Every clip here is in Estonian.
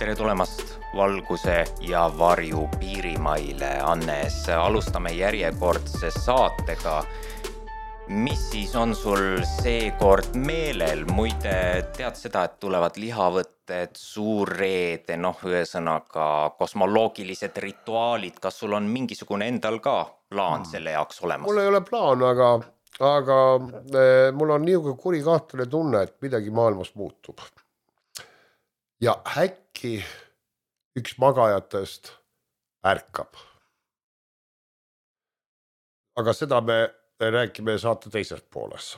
Tere tulemast valguse ja varju piirimaile, Annes. Alustame järjekordse saatega. Mis siis on sul seekord meelel? Muide, tead seda, et tulevad lihavõtted, suurreede, ühesõnaga kosmoloogilised rituaalid. Kas sul on mingisugune endal ka plaan selle jaoks olemas? Mul ei ole plaan, aga mul on niisugune kuri kahtlane tunne, et midagi maailmas muutub. Ja äkki üks magajatest ärkab. Aga seda me räägime saate teises pooles.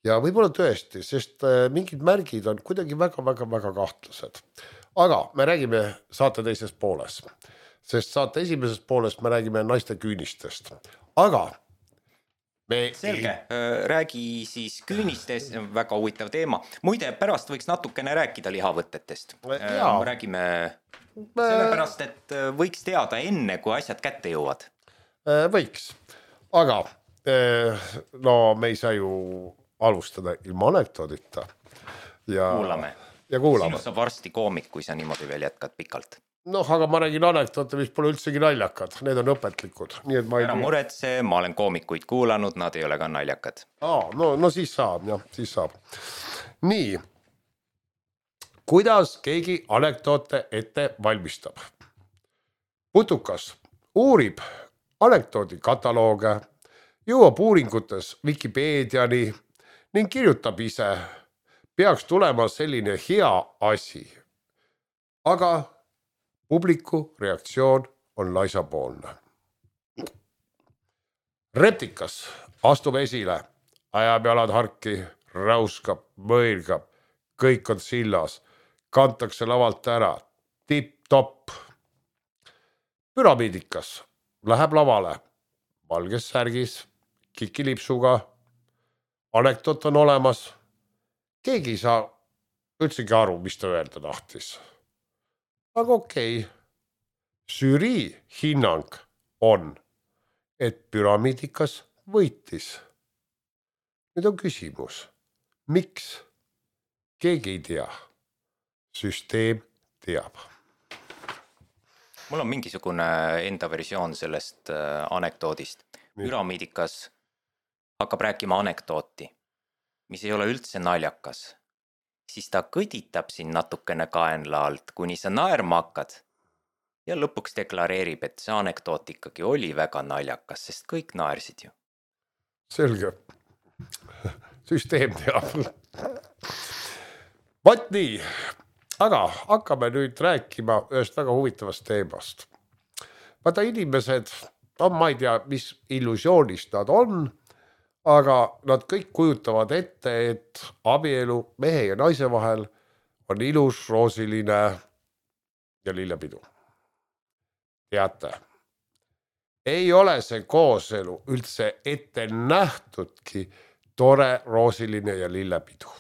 Ja võib-olla tõesti, sest mingid märgid on kuidagi väga kahtlased. Aga me räägime saate teises pooles, sest saate esimeses pooles me räägime naiste küünistest. Aga Selge, räägi siis küünistest, väga huvitav teema. Muide, pärast võiks natukene rääkida lihavõtetest. Räägime sellepärast, et võiks teada enne, kui asjad kätte jõuavad. Võiks, aga me ei saa ju alustada ilma anekdoodita. Kuulame. Sinust saab varsti koomik, kui sa niimoodi veel jätkad pikalt. Aga ma räägin anekdoote, mis pole üldsegi naljakad. Need on õpetlikud. Ära muretse, ma olen koomikuid kuulanud, nad ei ole ka naljakad. No siis saab, siis saab. Nii, kuidas keegi anekdoote ette valmistab? Putukas uurib anekdoodi katalooge, jõuab uuringutes Wikipeediani ning kirjutab ise. Peaks tulema selline hea asi. Aga publiku reaktsioon on laisapoolne. Reptikas astub esile, ajab jalad harki, räuskab, mõirgab, kõik on sillas, kantakse lavalt ära, tipp-topp. Püramiidikas läheb lavale, valges särgis, kikilipsuga, anekdoot on olemas, keegi ei saa üldsegi aru, mis ta öelda tahtis. Aga okei, žürii hinnang on, et püramiidikas võitis. Nüüd on küsimus, miks? Keegi ei tea. Süsteem teab. Mul on mingisugune enda versioon sellest anekdoodist. Püramiidikas hakkab rääkima anekdooti, mis ei ole üldse naljakas. Siis ta kõditab siin natukene kaenla alt, kuni sa naerma hakkad. Ja lõpuks deklareerib, et see anekdoot ikkagi oli väga naljakas, sest kõik naersid ju. Selge. Süsteem teab. Vaat nii, aga hakkame nüüd rääkima ühest väga huvitavast teemast. Vaata inimesed, ma ei tea, mis illusioonist nad on, aga nad kõik kujutavad ette, et abielu mehe ja naise vahel on ilus, roosiline ja lillepidu. Teate, ei ole see kooselu üldse ette nähtudki tore, roosiline ja lillepidu.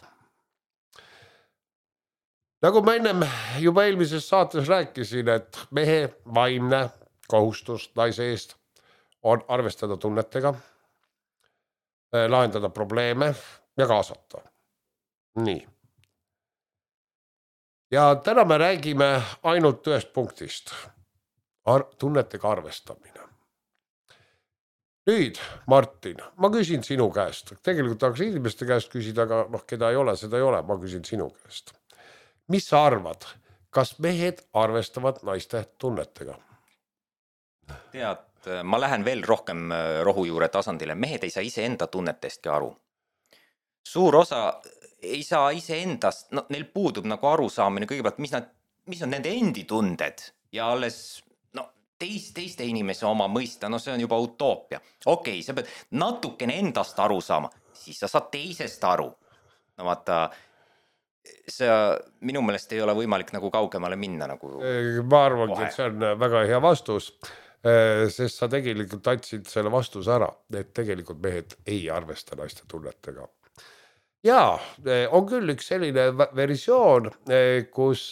Nagu ma ennem juba eelmises saates rääkisin, et mehe vaimne kohustus naise eest on arvestada tunnetega, lahendada probleeme ja kaasata. Nii. Ja täna me räägime ainult ühest punktist. Tunnetega arvestamine. Nüüd, Martin, ma küsin sinu käest. Tegelikult tahaks inimeste käest küsida, aga keda ei ole, seda ei ole. Ma küsin sinu käest. Mis sa arvad, kas mehed arvestavad naiste tunnetega? Tead, ma lähen veel rohkem rohujuure tasandile. Mehed ei saa ise enda tunnetestki aru. Suur osa ei saa ise endast, neil puudub nagu arusaamine kõigepealt, mis on nende endi tunded ja alles teiste inimese oma mõista, see on juba utoopia. Okei, sa pead natukene endast aru saama, siis sa saad teisest aru. Vaata, see minu meelest ei ole võimalik nagu kaugemale minna. Ma arvangi, et see on väga hea vastus. Sest sa tegelikult andsid selle vastuse ära, et tegelikult mehed ei arvesta naiste tunnetega. Ja on küll üks selline versioon, kus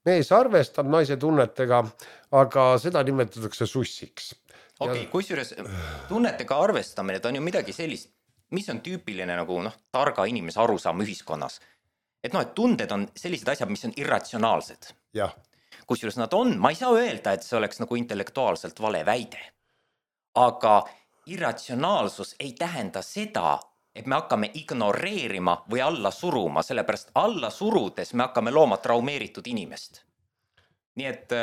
mees arvestab naise tunnetega, aga seda nimetatakse sussiks. Okei, kusjuures tunnetega arvestamine, ta on ju midagi sellist, mis on tüüpiline nagu targa inimese arusaam ühiskonnas. Et tunded on sellised asjad, mis on irratsionaalsed. Jah. kusjuures nad on, ma ei saa öelda, et see oleks nagu intellektuaalselt vale väide. Aga irratsionaalsus ei tähenda seda, et me hakkame ignoreerima või alla suruma, sellepärast alla surudes me hakkame looma traumeeritud inimest. Nii et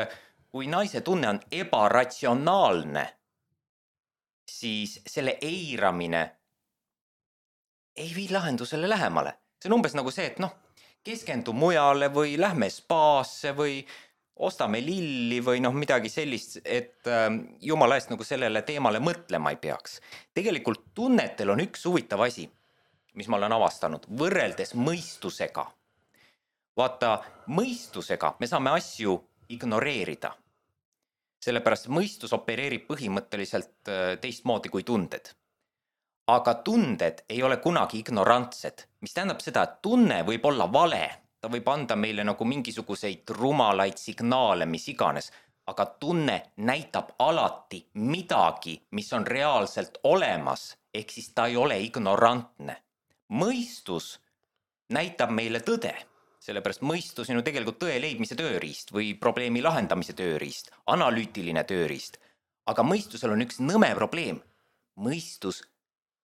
kui naise tunne on ebaratsionaalne, siis selle eiramine ei vii lahendusele lähemale. See on umbes nagu see, et keskendu mujale või lähme spaasse või ostame lilli või midagi sellist, et jumala eest nagu sellele teemale mõtlema ei peaks. Tegelikult tunnetel on üks huvitav asi, mis ma olen avastanud, võrreldes mõistusega. Vaata, mõistusega me saame asju ignoreerida. Sellepärast mõistus opereerib põhimõtteliselt teistmoodi kui tunded. Aga tunded ei ole kunagi ignorantsed, mis tähendab seda, et tunne võib olla vale. Ta võib anda meile nagu mingisuguseid rumalaid signaale, mis iganes, aga tunne näitab alati midagi, mis on reaalselt olemas, ehk siis ta ei ole ignorantne. Mõistus näitab meile tõde, sellepärast mõistus on ju tegelikult tõe leidmise tööriist või probleemi lahendamise tööriist, analüütiline tööriist. Aga mõistusel on üks nõme probleem. Mõistus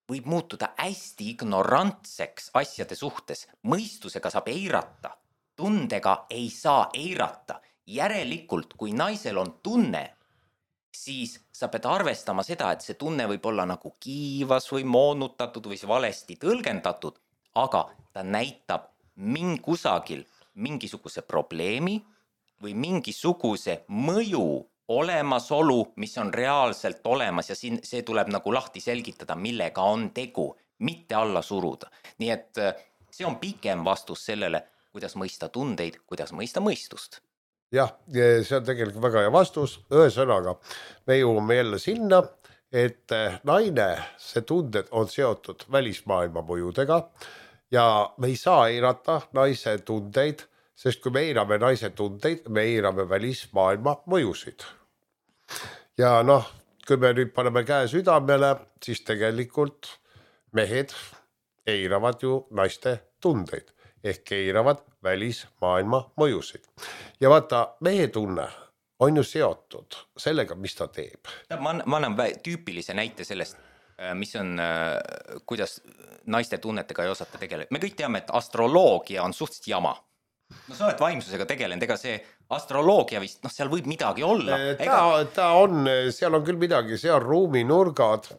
võib muutuda hästi ignorantseks asjade suhtes. Mõistusega saab eirata, tundega ei saa eirata. Järelikult, kui naisel on tunne, siis sa pead arvestama seda, et see tunne võib olla nagu kiivas või moonutatud või valesti tõlgendatud, aga ta näitab kusagil mingisuguse probleemi või mingisuguse mõju olemasolu, mis on reaalselt olemas ja see tuleb nagu lahti selgitada, millega on tegu, mitte alla suruda. Nii et see on pikem vastus sellele, kuidas mõista tundeid, kuidas mõista mõistust. Jah, see on tegelikult väga hea vastus. Ühesõnaga, me jõuame jälle sinna, et naine, see tunded on seotud välismaailma mõjudega ja me ei saa eirata naise tundeid, sest kui me eirame naise tundeid, me eirame välismaailma mõjusid. Ja kui me nüüd paneme käe südamele, siis tegelikult mehed eiravad ju naiste tundeid ehk eiravad välismaailma mõjusid. Ja vaata, mehe tunne on ju seotud sellega, mis ta teeb. Ma annan tüüpilise näite sellest, mis on, kuidas naiste tunnetega ei osata tegeleda. Me kõik teame, et astroloogia on suhteliselt jama. Sa oled vaimsusega tegelenud, ega see astroloogia vist, seal võib midagi olla. Ta on, seal on küll midagi, see on ruuminurgad,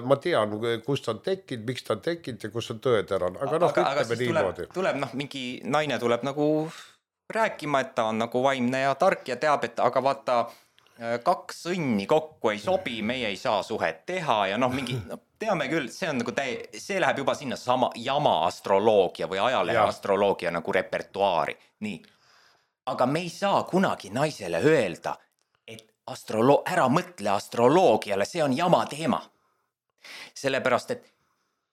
ma tean, kust on tekkinud, miks ta on tekkinud ja kus on tõeterane, aga ütleme niimoodi. Tuleb mingi naine tuleb nagu rääkima, et ta on nagu vaimne ja tark ja teab, et aga vaata, kaks sõnni kokku ei sobi, meie ei saa suhet teha ja mingi, teame küll, see on nagu see läheb juba sinna sama jama astroloogia või ajalehe astroloogia nagu repertuaari. Nii. Aga me ei saa kunagi naisele öelda, et ära mõtle astroloogiale, see on jama teema. Sellepärast, et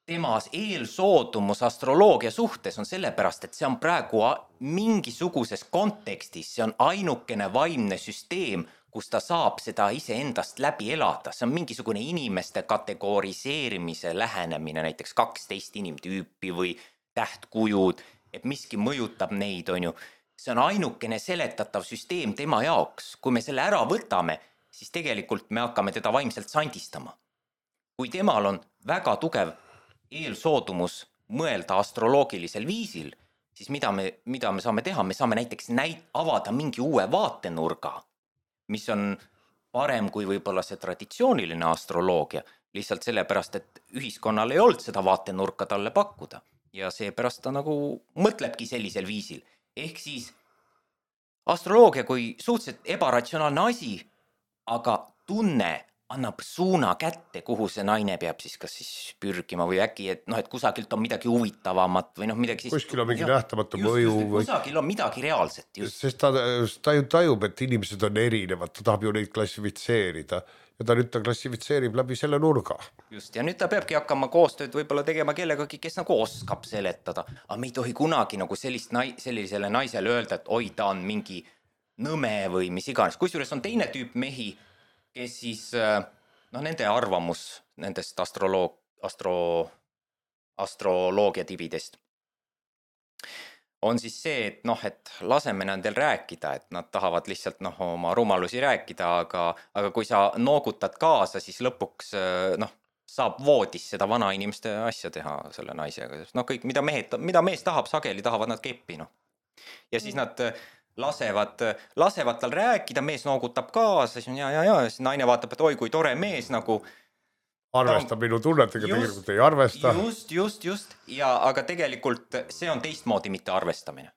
temas eelsoodumus astroloogia suhtes on sellepärast, et see on praegu mingisuguses kontekstis, see on ainukene vaimne süsteem, kus ta saab seda iseendast läbi elada. See on mingisugune inimeste kategoriseerimise lähenemine, näiteks 12 inimtüüpi või tähtkujud, et miski mõjutab neid, on ju. See on ainukene seletatav süsteem tema jaoks. Kui me selle ära võtame, siis tegelikult me hakkame teda vaimselt sandistama. Kui temal on väga tugev eelsoodumus mõelda astroloogilisel viisil, siis mida me saame teha? Me saame näiteks avada mingi uue vaatenurga, mis on parem kui võib-olla see traditsiooniline astroloogia, lihtsalt sellepärast, et ühiskonnal ei olnud seda vaatenurka talle pakkuda. Ja seepärast ta nagu mõtlebki sellisel viisil. Ehk siis astroloogia kui suhteliselt ebaratsionaalne asi, aga tunne annab suuna kätte, kuhu see naine peab siis kas siis pürgima või äkki, et kusagilt on midagi huvitavamat või midagi siis... Kuskil on mingi nähtamatu mõju. Kusagil on midagi reaalset. Just. Sest ta ju tajub, et inimesed on erinevad, ta tahab ju neid klassifitseerida ja ta nüüd klassifitseerib läbi selle nurga. Just, ja nüüd ta peabki hakkama koostööd võib-olla tegema kellegagi, kes nagu oskab seletada. Aga me ei tohi kunagi nagu sellisele naisele öelda, et oi, ta on mingi nõme või mis iganes. Kusjuures on teine tüüp mehi, kes siis, nende arvamus nendest astroloogia tibidest on siis see, et noh, et laseme nendel rääkida, et nad tahavad lihtsalt noh, oma rumalusi rääkida, aga kui sa noogutad kaasa, siis lõpuks noh, saab voodis seda vana inimeste asja teha selle naisega. No kõik, mida mees tahab, sageli tahavad nad keppi, noh. Ja siis nad lasevad tal rääkida, mees noogutab kaasa, siis on ja, siis naine vaatab, et oi, kui tore mees nagu arvestab minu tunnetega, tegelikult ei arvesta. Just. Ja, aga tegelikult see on teistmoodi mitte arvestamine.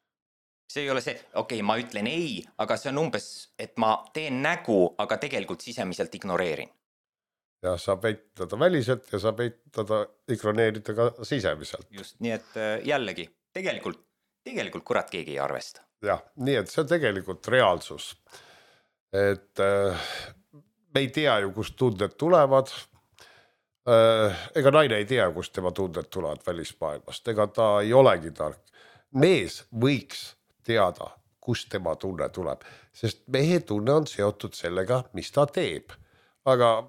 See ei ole see, okei, ma ütlen ei, aga see on umbes, et ma teen nägu, aga tegelikult sisemiselt ignoreerin. Ja saab eitada väliselt ja saab eitada, ignoreerida ka sisemiselt. Just, nii et jällegi, tegelikult kurat keegi ei arvesta. Jah, nii et see on tegelikult reaalsus. Et me ei tea ju, kust tunded tulevad. Ega naine ei tea, kust tema tunded tulevad välismaailmast. Ega ta ei olegi tark. Mees võiks teada, kust tema tunne tuleb. Sest mehe tunne on seotud sellega, mis ta teeb. Aga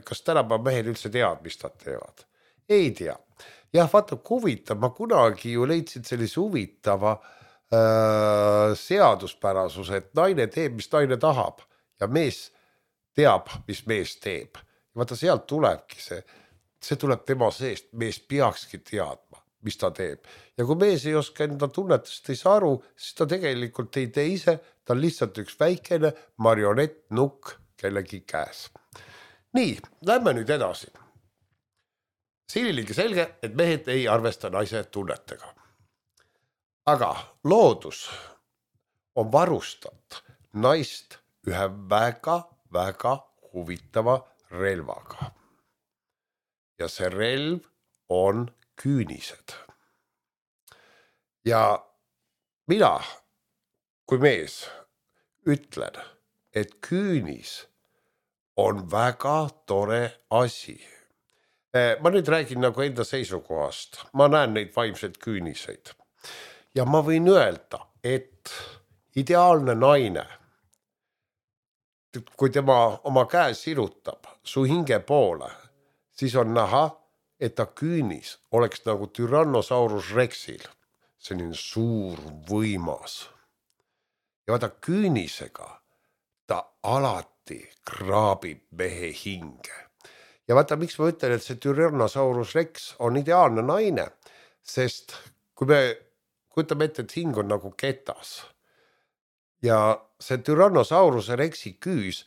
kas tänapäeva mehed üldse teavad, mis ta teevad? Ei tea. Jah, vaata, huvitav. Ma kunagi ju leidsin sellise huvitava seaduspärasuse, et naine teeb, mis naine tahab ja mees teab, mis mees teeb. Ja vaata, sealt tulebki see tuleb tema seest, mees peakski teadma, mis ta teeb. Ja kui mees ei oska enda tunnetust ei saa aru, siis ta tegelikult ei tee ise, ta on lihtsalt üks väikene marionett nukk kellegi käes. Nii, lähme nüüd edasi. Siiniligi selge, et mehed ei arvesta naise tunnetega. Aga loodus on varustat naist ühe väga huvitava relvaga. Ja see relv on küünised. Ja mina, kui mees, ütlen, et küünis on väga tore asi. Ma nüüd räägin nagu enda seisukohast. Ma näen neid vaimseid küüniseid. Ja ma võin öelda, et ideaalne naine, kui tema oma käe sirutab su hinge poole, siis on näha, et ta küünis oleks nagu Tyrannosaurus Rexil. Selline suur võimas. Ja vaata, küünisega ta alati kraabib mehe hinge. Ja vaata, miks ma ütlen, et see Tyrannosaurus Rex on ideaalne naine, sest kui me kujutame ette, et hing on nagu ketas ja see Tyrannosaurus Rexi küüs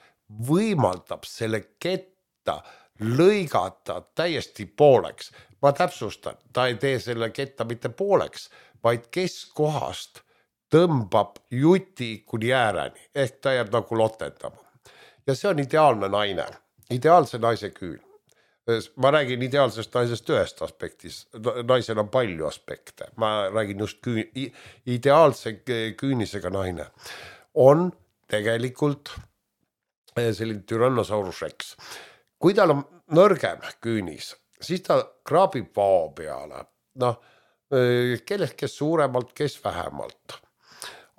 võimaldab selle ketta lõigata täiesti pooleks. Ma täpsustan, ta ei tee selle ketta mitte pooleks, vaid keskkohast tõmbab juti kuni ääreni, ehk ta jääb nagu lotendama. Ja see on ideaalne naine, ideaalse naise küün. Ma räägin ideaalsest naisest ühest aspektis, naisel on palju aspekte, ma räägin just ideaalse küünisega naine. On tegelikult selline Tyrannosaurus Rex. Kui tal on nõrgem küünis, siis ta kraabib vao peale. Noh, kellest kes suuremalt, kes vähemalt.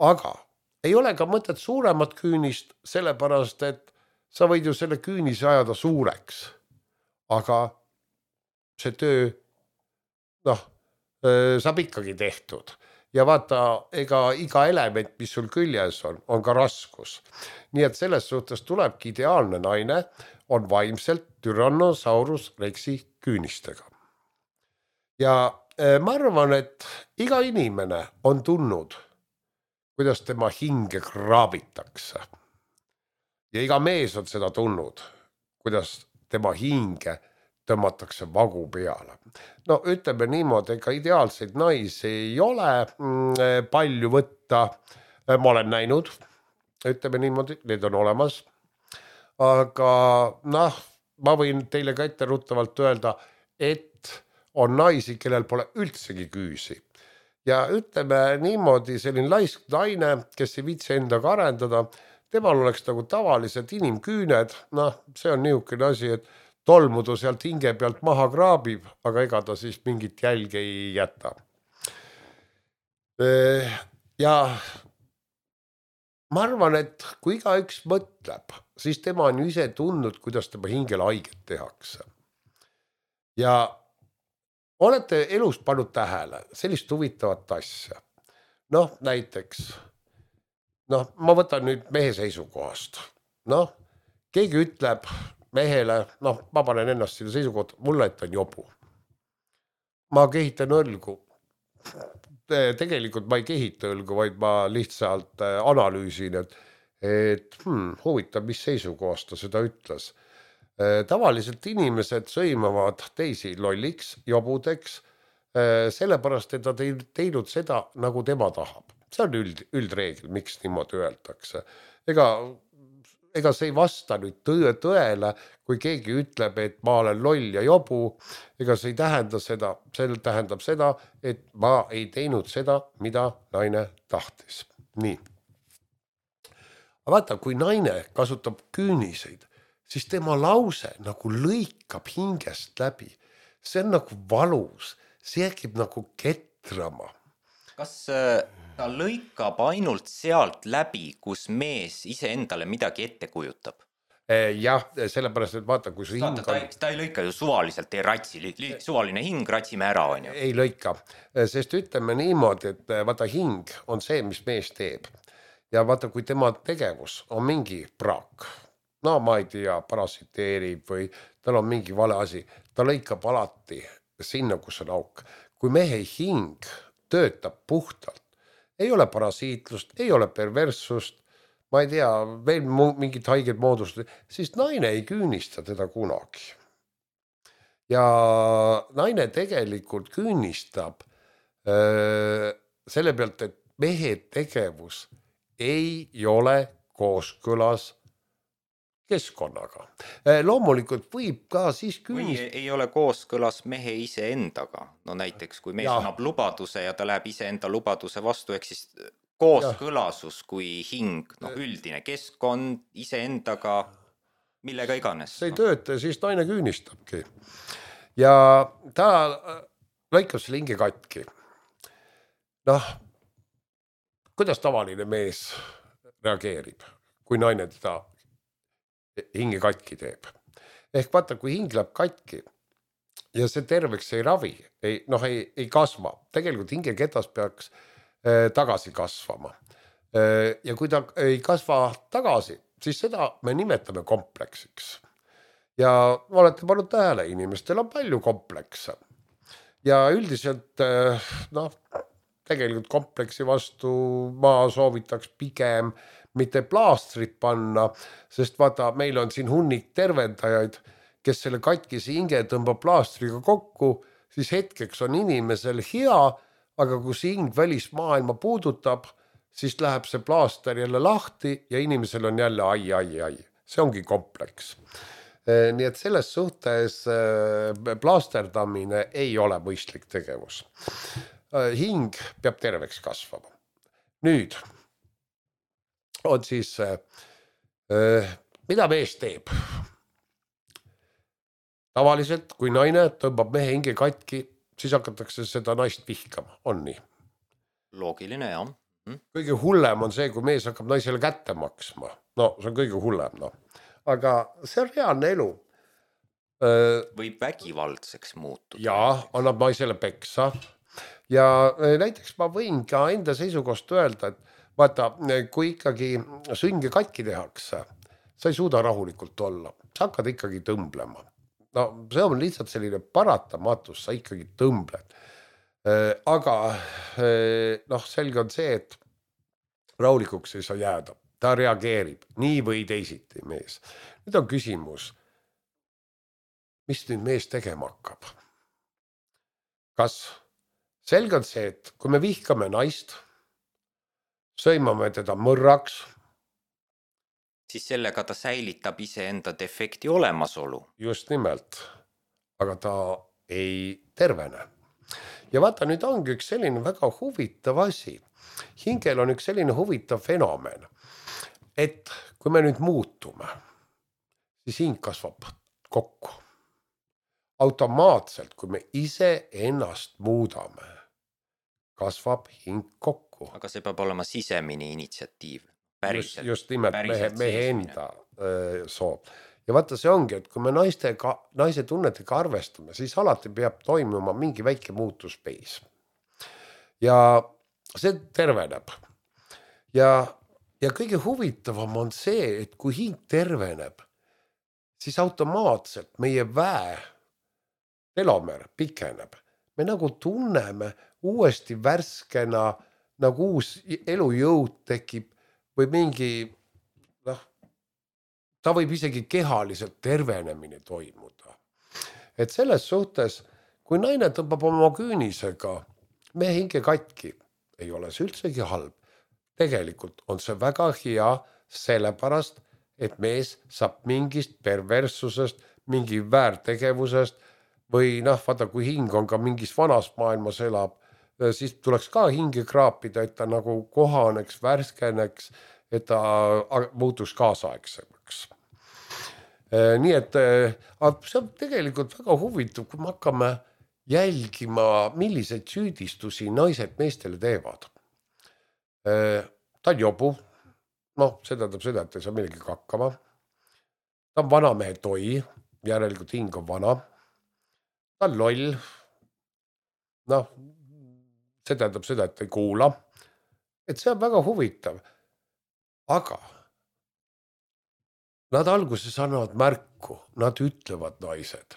Aga ei ole ka mõtet suuremat küünist, sellepärast, et sa võid ju selle küünise ajada suureks. Aga see töö, saab ikkagi tehtud. Ja vaata, ega iga element, mis sul küljes on ka raskus. Nii et selles suhtes tulebki ideaalne naine on vaimselt Tyrannosaurus Rexi küünistega. Ja ma arvan, et iga inimene on tundnud, kuidas tema hinge kraabitakse. Ja iga mees on seda tundnud, kuidas tema hinge tõmmatakse vagu peale. No ütleme niimoodi, ega ideaalseid naisi ei ole palju võtta. Ma olen näinud, ütleme niimoodi, need on olemas. Aga ma võin teile ka etteruttavalt öelda, et on naisi, kellel pole üldsegi küüsi. Ja ütleme niimoodi, selline laisk naine, kes ei viitsi endaga arendada, temal oleks nagu tavalised inimküüned, see on niisugune asi, et tolmudu sealt hinge pealt maha kraabib, aga ega ta siis mingit jälge ei jäta. Ja ma arvan, et kui igaüks mõtleb, siis tema on ju ise tundnud, kuidas tema hingele haiget tehakse. Ja olete elus pannud tähele sellist huvitavat asja, noh, näiteks, noh, ma võtan nüüd mehe seisukohast. Noh, keegi ütleb mehele, noh, ma panen ennast sinna seisukohta, mulle, et on jobu. Ma kehitan õlgu. Tegelikult ma ei kehita õlgu, vaid ma lihtsalt analüüsin, et huvitav, mis seisukohast ta seda ütles. Tavaliselt inimesed sõimavad teisi lolliks, jobudeks, sellepärast, et ta teinud seda, nagu tema tahab. See on üldreegel, miks niimoodi öeldakse. Ega see ei vasta nüüd tõele, kui keegi ütleb, et ma olen loll ja jobu, ega see ei tähenda seda, see tähendab seda, et ma ei teinud seda, mida naine tahtis. Nii. Aga vaata, kui naine kasutab küüniseid, siis tema lause nagu lõikab hingest läbi. See on nagu valus, see jääb nagu ketrama. Kas ta lõikab ainult sealt läbi, kus mees iseendale midagi ette kujutab? Jah, sellepärast, et vaata, kui see hing on... Ta ei lõika ju suvaliselt, ei ratsi, suvaline hing, ratsime ära, on ju. Ei lõika, sest ütleme niimoodi, et vaata hing on see, mis mees teeb. Ja vaata, kui tema tegevus on mingi praak, no ma ei tea, parasiteerib või tal on mingi vale asi, ta lõikab alati sinna, kus on auk. Kui mehe hing töötab puhtalt, ei ole parasiitlust, ei ole perverssust, ma ei tea, veel mingid haiged moodustused, siis naine ei küünista teda kunagi. Ja naine tegelikult küünistab selle pealt, et mehe tegevus ei ole kooskõlas keskkonnaga. Loomulikult võib ka siis küünistada. Või ei ole kooskõlas mehe iseendaga. No näiteks, kui mees annab lubaduse ja ta läheb iseenda lubaduse vastu, ehk siis kooskõlasus kui hing, üldine keskkond iseendaga, millega iganes. See ei tööta, siis naine küünistabki. Ja ta lõikab selle hinge katki. Noh, kuidas tavaline mees reageerib, kui naine teda hinge katki teeb. Ehk vaata, kui hing läheb katki ja see terveks ei ravi, ei kasva. Tegelikult hingeketas peaks tagasi kasvama. Ja kui ta ei kasva tagasi, siis seda me nimetame kompleksiks. Ja olete pannud tähele, inimestel on palju komplekse. Ja üldiselt, tegelikult kompleksi vastu ma soovitaks pigem mitte plaastrit panna, sest vaata, meil on siin hunnik tervendajaid, kes selle katkise hinge tõmbab plaastriga kokku, siis hetkeks on inimesel hea, aga kui see hing välismaailma puudutab, siis läheb see plaaster jälle lahti ja inimesel on jälle ai. See ongi kompleks. Nii et selles suhtes plaasterdamine ei ole mõistlik tegevus. Hing peab terveks kasvama. Nüüd on siis, mida mees teeb? Tavaliselt, kui naine tõmbab mehe hinge katki, siis hakatakse seda naist vihkama, on nii? Loogiline, jah. Kõige hullem on see, kui mees hakkab naisele kätte maksma. No, see on kõige hullem, Aga see on reaalne elu. Võib vägivaldseks muutuda. Jaa, annab naisele peksa. Ja näiteks ma võin ka enda seisukohast öelda, et vaata, kui ikkagi sõnge katki tehakse, sa ei suuda rahulikult olla. Sa hakkad ikkagi tõmblema. No, see on lihtsalt selline paratamatus, sa ikkagi tõmbled. Aga selge on see, et rahulikuks ei saa jääda. Ta reageerib nii või teisiti mees. Nüüd on küsimus, mis nüüd mees tegema hakkab? Kas selge on see, et kui me vihkame naist, sõimame teda mõrraks, siis sellega ta säilitab iseenda defekti olemasolu. Just nimelt, aga ta ei tervene. Ja vaata, nüüd ongi üks selline väga huvitav asi. Hingel on üks selline huvitav fenomen, et kui me nüüd muutume, siis hing kasvab kokku. Automaatselt, kui me ise ennast muudame, kasvab hing kokku. Aga see peab olema sisemine initsiatiiv. Just nimelt mehe enda soov. Ja vaata, see ongi, et kui me naise tunnetega arvestame, siis alati peab toimuma mingi väike muutus peis. Ja see terveneb ja kõige huvitavam on see, et kui hing terveneb, siis automaatselt meie väe telomer pikeneb. Me nagu tunneme uuesti värskena, nagu uus elujõud tekib või mingi, ta võib isegi kehaliselt tervenemine toimuda. Et selles suhtes, kui naine tõmbab oma küünisega mehe hinge katki, ei ole see üldsegi halb. Tegelikult on see väga hea sellepärast, et mees saab mingist perverssusest, mingi väärtegevusest või vaata, kui hing on ka mingis vanas maailmas elab, siis tuleks ka hinge kraapida, et ta nagu kohaneks, värskeneks, et ta muutuks kaasaegsemaks. Nii et see on tegelikult väga huvitav, kui me hakkame jälgima, milliseid süüdistusi naised meestele teevad. Ta on jobu, see tähendab seda, et ei saa millegi hakkama. Ta on vanamehe toi, järelikult hing on vana. Ta on loll. See tähendab seda, et ei kuula. Et see on väga huvitav. Aga nad alguses annavad märku, nad ütlevad naised.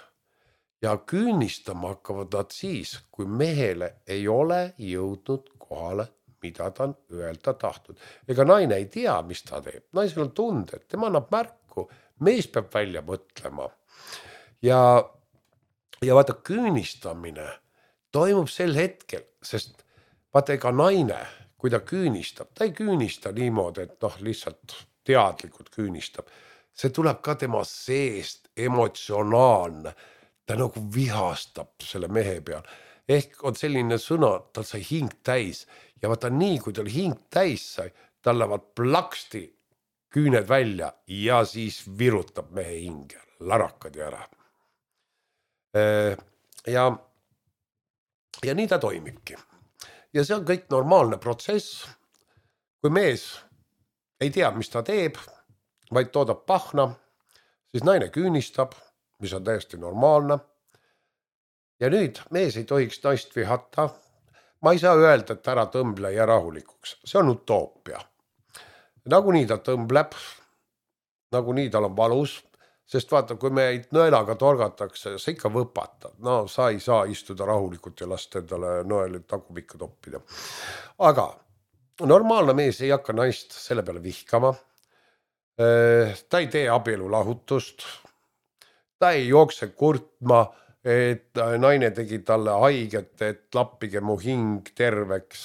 Ja küünistama hakkavad nad siis, kui mehele ei ole jõudnud kohale, mida ta on öelda tahtnud. Ega naine ei tea, mis ta teeb. Naisel on tunded, tema annab märku, mees peab välja mõtlema. Ja vaata, küünistamine toimub sel hetkel, sest vaata, ega naine, kui ta küünistab, ta ei küünista niimoodi, et lihtsalt teadlikult küünistab. See tuleb ka tema seest emotsionaalne. Ta nagu vihastab selle mehe peal. Ehk on selline sõna, tal sai hing täis. Ja vaata nii, kui tal hing täis sai, tal lähevad plaksti küüned välja ja siis virutab mehe hinge, larakad ära. Ja nii ta toimibki. Ja see on kõik normaalne protsess. Kui mees ei tea, mis ta teeb, vaid toodab pahna, siis naine küünistab, mis on täiesti normaalne. Ja nüüd mees ei tohiks naist vihata. Ma ei saa öelda, et ära tõmble ja rahulikuks. See on utoopia. Nagunii ta tõmbleb, nagunii tal on valus, sest vaata, kui meid nõelaga torgatakse, sa ikka võpatad. Sa ei saa istuda rahulikult ja lasta endale nõeli tagumikku toppida. Aga normaalne mees ei hakka naist selle peale vihkama. Ta ei tee abielu lahutust. Ta ei jookse kurtma, et naine tegi talle haiget, et lappige mu hing terveks.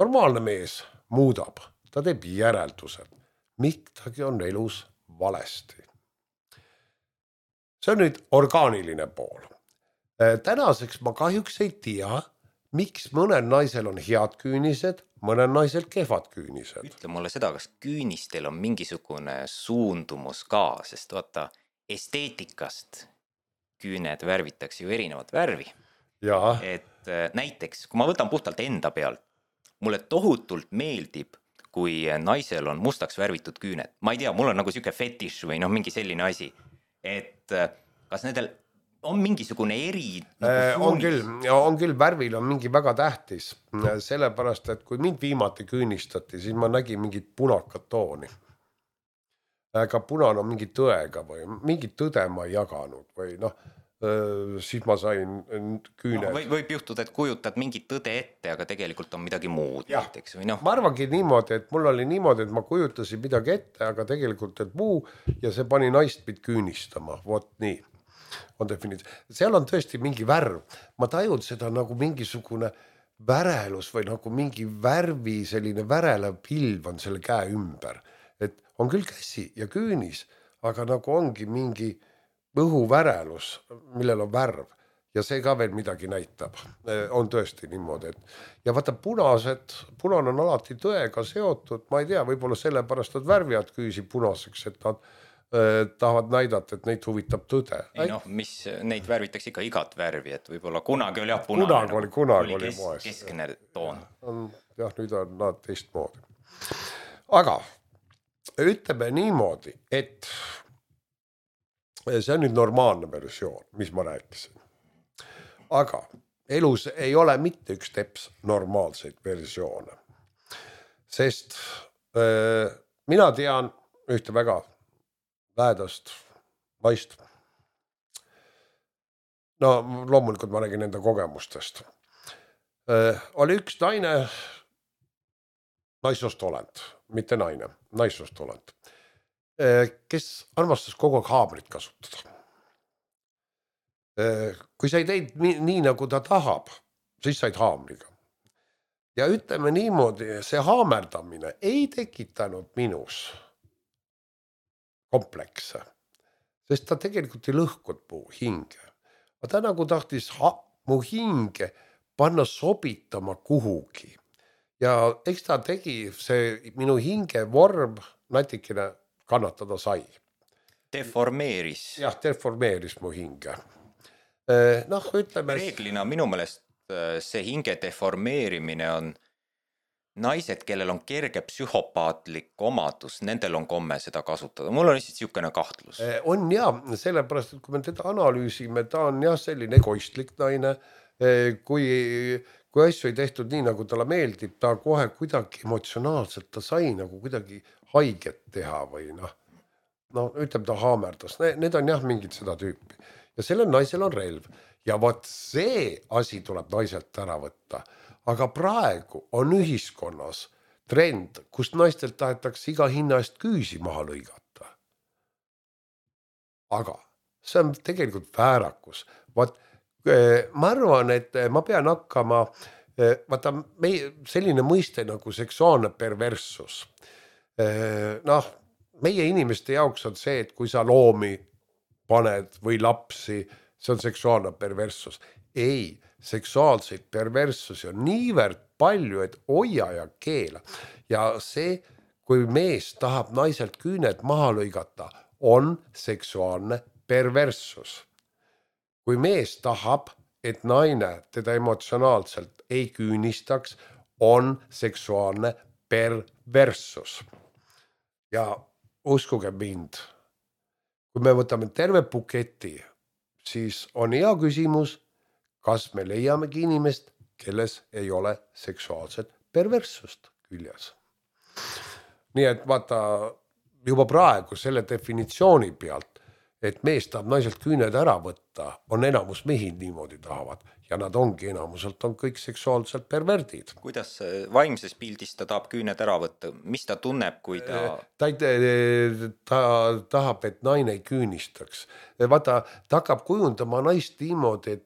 Normaalne mees muudab, ta teeb järeldused. Miktagi on elus valesti. See on nüüd orgaaniline pool. Tänaseks ma kahjuks ei tea, miks mõnel naisel on head küünised, mõnel naisel kehvad küünised. Ütle mulle seda, kas küünistel on mingisugune suundumus ka, sest vaata, esteetikast küüned värvitakse ju erinevat värvi. Ja. Et näiteks, kui ma võtan puhtalt enda pealt, mulle tohutult meeldib, kui naisel on mustaks värvitud küüned. Ma ei tea, mul on nagu siuke fetiš või mingi selline asi. Et kas nendel on mingisugune eri on küll, värvil on mingi väga tähtis. Sellepärast, et kui mind viimati küünistati, siis ma nägin mingit punakat tooni. Aga punane on mingi tõega või mingit tõde ma ei jaganud või siis ma sain küüned. Võib juhtuda, et kujutad mingit tõde ette, aga tegelikult on midagi muud. Näiteks, või Ma arvangi niimoodi, et mul oli niimoodi, et ma kujutasin midagi ette, aga tegelikult et muu ja see pani naist mind küünistama. Vot nii on definiit. Seal on tõesti mingi värv. Ma tajun seda nagu mingisugune värelus või nagu mingi värvi, selline värelev pilv on selle käe ümber. Et on küll käsi ja küünis, aga nagu ongi mingi õhuvärelus, millel on värv ja see ka veel midagi näitab. On tõesti niimoodi. Ja vaata, punane on alati tõega seotud. Ma ei tea, võib-olla sellepärast, et värvivad küüsi punaseks, et nad tahavad näidata, et neid huvitab tõde. Mis neid värvitakse ikka igat värvi, et võib-olla kunagi oli punane. Kunagi oli moes. Keskne toon. Jah, nüüd on nad teistmoodi. Aga ütleme niimoodi, et see on nüüd normaalne versioon, mis ma rääkisin. Aga elus ei ole mitte üks teps normaalseid versioone. Sest mina tean ühte väga lähedast naist. No loomulikult ma räägin enda kogemustest. Oli üks naine, naissoost olend, mitte naine, naissoost olend, kes armastas kogu aeg haamrit kasutada. Kui sa ei teinud nii nagu ta tahab, siis said haamriga. Ja ütleme niimoodi, see haamerdamine ei tekitanud minus komplekse, sest ta tegelikult ei lõhkud mu hinge. Ta nagu tahtis mu hinge panna sobitama kuhugi. Ja eks ta tegi see minu hinge vorm natikene kannatada sai. Deformeeris. Jah, deformeeris mu hinge. Noh, ütleme... Reeglina minu meelest see hinge deformeerimine on naised, kellel on kerge psühhopaatlik omadus, nendel on komme seda kasutada. Mul on lihtsalt siukene kahtlus. On jah, sellepärast, et kui me teda analüüsime, ta on jah selline egoistlik naine. Kui asju ei tehtud nii, nagu talle meeldib, ta kohe kuidagi emotsionaalselt, ta sai nagu kuidagi haiget teha või noh, ütleme ta haamerdas. Need on jah mingid seda tüüpi. Ja sellel naisel on relv. Ja vaat see asi tuleb naiselt ära võtta. Aga praegu on ühiskonnas trend, kus naistelt tahetakse iga hinna eest küüsi maha lõigata. Aga see on tegelikult väärakus. Vaat ma arvan, et ma pean hakkama, vaata selline mõiste nagu seksuaalne perverssus. Meie inimeste jaoks on see, et kui sa loomi paned või lapsi, see on seksuaalne perverssus. Ei, seksuaalseid perverssusi on niivõrd palju, et hoia ja keela. Ja see, kui mees tahab naiselt küüned maha lõigata, on seksuaalne perverssus. Kui mees tahab, et naine teda emotsionaalselt ei küünistaks, on seksuaalne perverssus. Ja uskuge mind, kui me võtame terve buketi, siis on hea küsimus, kas me leiamegi inimest, kelles ei ole seksuaalset perverssust küljes. Nii et vaata juba praegu selle definitsiooni pealt, et mees tahab naiselt küüned ära võtta, on enamus mehi niimoodi tahavad ja nad ongi enamuselt on kõik seksuaalselt perverdid. Kuidas vaimses pildis ta tahab küüned ära võtta? Mis ta tunneb, kui ta... Ta tahab, et naine ei küünistaks. Vaata, ta hakkab kujundama naist niimoodi, et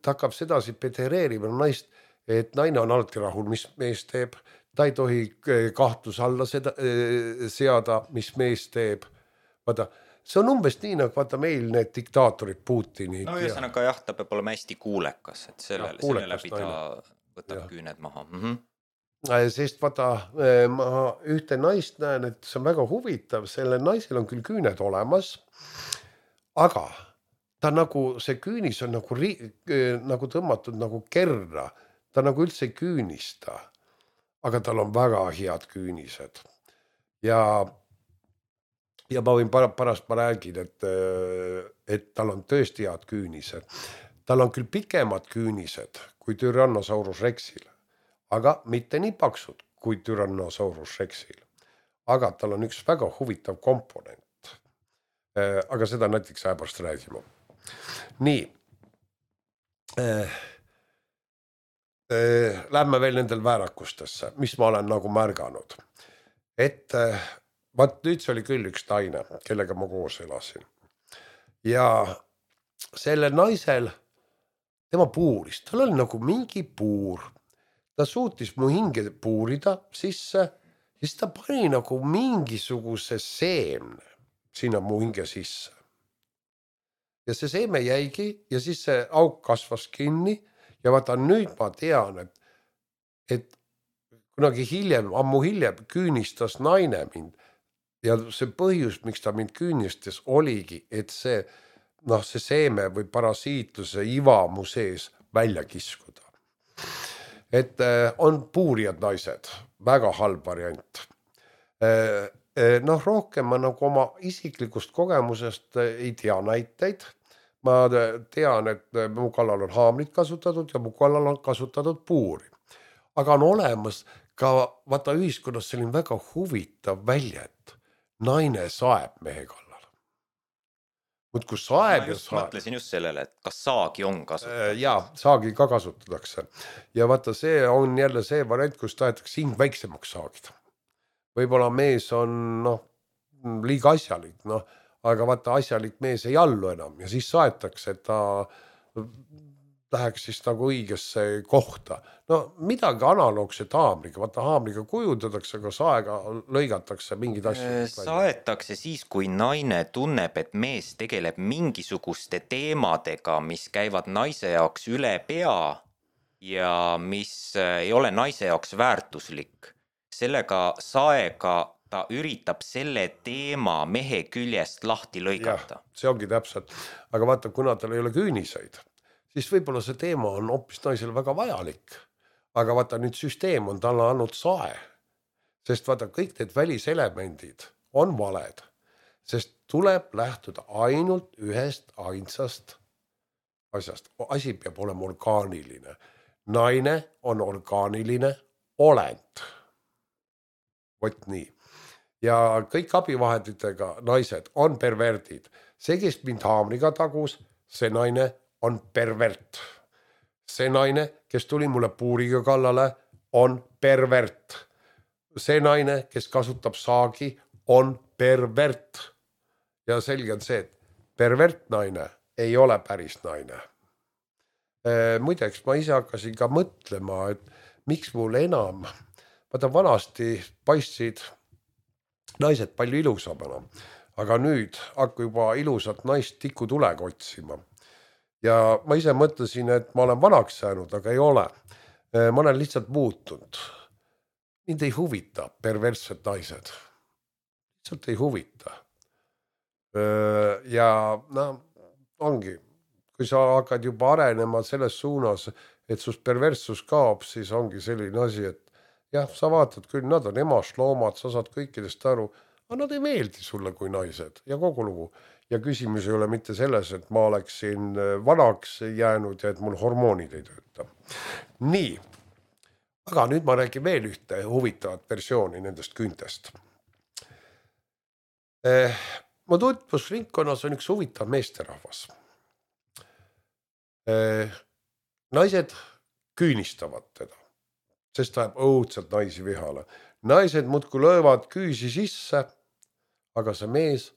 ta hakkab sedasi pedereerima naist, et naine on alati rahul, mis mees teeb. Ta ei tohi kahtlus alla seada, mis mees teeb. Vaata, see on umbes nii, nagu vaata meil need diktaatorid Putinid. No ühesõnaga jah, ta peab olema hästi kuulekas, et selle läbi ta võtab küüned maha. Sest vaata, ma ühte naist näen, et see on väga huvitav, selle naisel on küll küüned olemas, aga ta nagu, see küünis on nagu tõmmatud nagu kerra, ta nagu üldse ei küünista, aga tal on väga head küünised. Ja ma võin pärast ma räägin, et tal on tõesti head küünised. Tal on küll pikemad küünised kui Tyrannosaurus rexil, aga mitte nii paksud kui Tyrannosaurus rexil. Aga tal on üks väga huvitav komponent. Aga seda näiteks äpärast räägime. Nii. Lähme veel nendel väärakustesse, mis ma olen nagu märganud. Et... Vaat nüüd see oli küll üks naine, kellega ma koos elasin. Ja selle naisel, tema puuris, tal oli nagu mingi puur. Ta suutis mu hinge puurida sisse, siis ta pani nagu mingisuguse seemne sinna mu hinge sisse. Ja see seeme jäigi ja siis see auk kasvas kinni ja vaata nüüd ma tean, et kunagi hiljem, ammu hiljem küünistas naine mind. Ja see põhjus, miks ta mind küünistas, oligi, et see seeme või parasiitluse iva mu sees välja kiskuda. Et on puurijad naised, väga halb variant. Rohkem ma nagu oma isiklikust kogemusest ei tea näiteid. ma tean, et mu kallal on haamrit kasutatud ja mu kallal on kasutatud puuri. Aga on olemas ka vaata ühiskonnas selline väga huvitav väljend. Naine saeb mehe kallal. Muudkui saeb ja saeb. Mõtlesin just sellele, et kas saagi on kasutatud. Jaa, saagi ka kasutatakse. Ja vaata, see on jälle see variant, kus tahetakse hing väiksemaks saagida. Võib-olla mees on liiga asjalik, aga vaata asjalik mees ei allu enam ja siis saetakse, et ta läheks siis nagu õigesse kohta. Midagi analoogset haamriga, vaata haamriga kujundatakse, aga saega lõigatakse mingid asjad. Saetakse siis, kui naine tunneb, et mees tegeleb mingisuguste teemadega, mis käivad naise jaoks üle pea ja mis ei ole naise jaoks väärtuslik. Sellega saega ta üritab selle teema mehe küljest lahti lõigata. Ja, see ongi täpselt. Aga vaata, kuna tal ei ole küüniseid, siis võib-olla see teema on hoopis naisele väga vajalik. Aga vaata, nüüd süsteem on talle andnud sae. Sest vaata, kõik need väliselemendid on valed. Sest tuleb lähtuda ainult ühest ainsast asjast. Asi peab olema orgaaniline. Naine on orgaaniline olend. Vot nii. Ja kõik abivahenditega naised on perverdid. See, kes mind haamriga tagus, see naine on pervert. See naine, kes tuli mulle puuriga kallale, on pervert. See naine, kes kasutab saagi, on pervert. Ja selge on see, et pervert naine ei ole päris naine. Muideks, ma ise hakkasin ka mõtlema, et miks mul enam, vaata vanasti paistsid naised palju ilusamana, aga nüüd hakka juba ilusat naist tikutulega otsima. Ja ma ise mõtlesin, et ma olen vanaks jäänud, aga ei ole. Ma olen lihtsalt muutunud. Mind ei huvita perverssed naised. Lihtsalt ei huvita. Ja ongi, kui sa hakkad juba arenema selles suunas, et sust perverssus kaob, siis ongi selline asi, et jah, sa vaatad küll, nad on emast loomad, sa saad kõikidest aru, aga nad ei meeldi sulle kui naised ja kogu lugu. Ja küsimus ei ole mitte selles, et ma oleksin vanaks jäänud ja et mul hormoonid ei tööta. Nii, aga nüüd ma räägin veel ühte huvitavat versiooni nendest küüntest. Mu tutvusringkonnas on üks huvitav meesterahvas. Naised küünistavad teda, sest ta jääb õudselt naisi vihale. Naised muudkui löövad küüsi sisse, aga see mees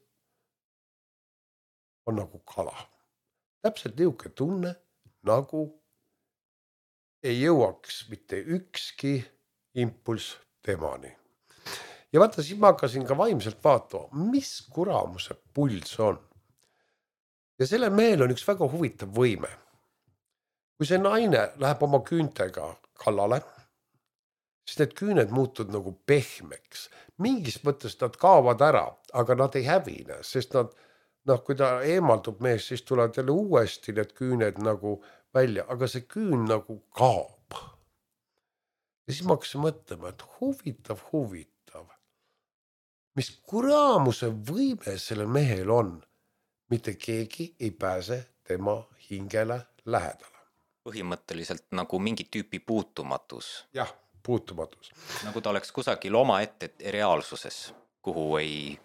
on nagu kala. Täpselt niuke tunne, nagu ei jõuaks mitte ükski impulss temani. Ja vaata, siis ma hakkasin ka vaimselt vaatama, mis kuramuse puls on. Ja selle mehel on üks väga huvitav võime. Kui see naine läheb oma küüntega kallale, siis need küüned muutud nagu pehmeks. Mingis mõttes nad kaovad ära, aga nad ei hävine, sest nad, kui ta eemaldub mees, siis tulevad jälle uuesti need küüned nagu välja, aga see küün nagu kaob. Ja siis ma hakkasin mõtlema, et huvitav. Mis kuramuse võime sellel mehel on, mitte keegi ei pääse tema hingele lähedale. Põhimõtteliselt nagu mingi tüüpi puutumatus. Jah, puutumatus. Nagu ta oleks kusagil oma ette reaalsuses, kuhu ei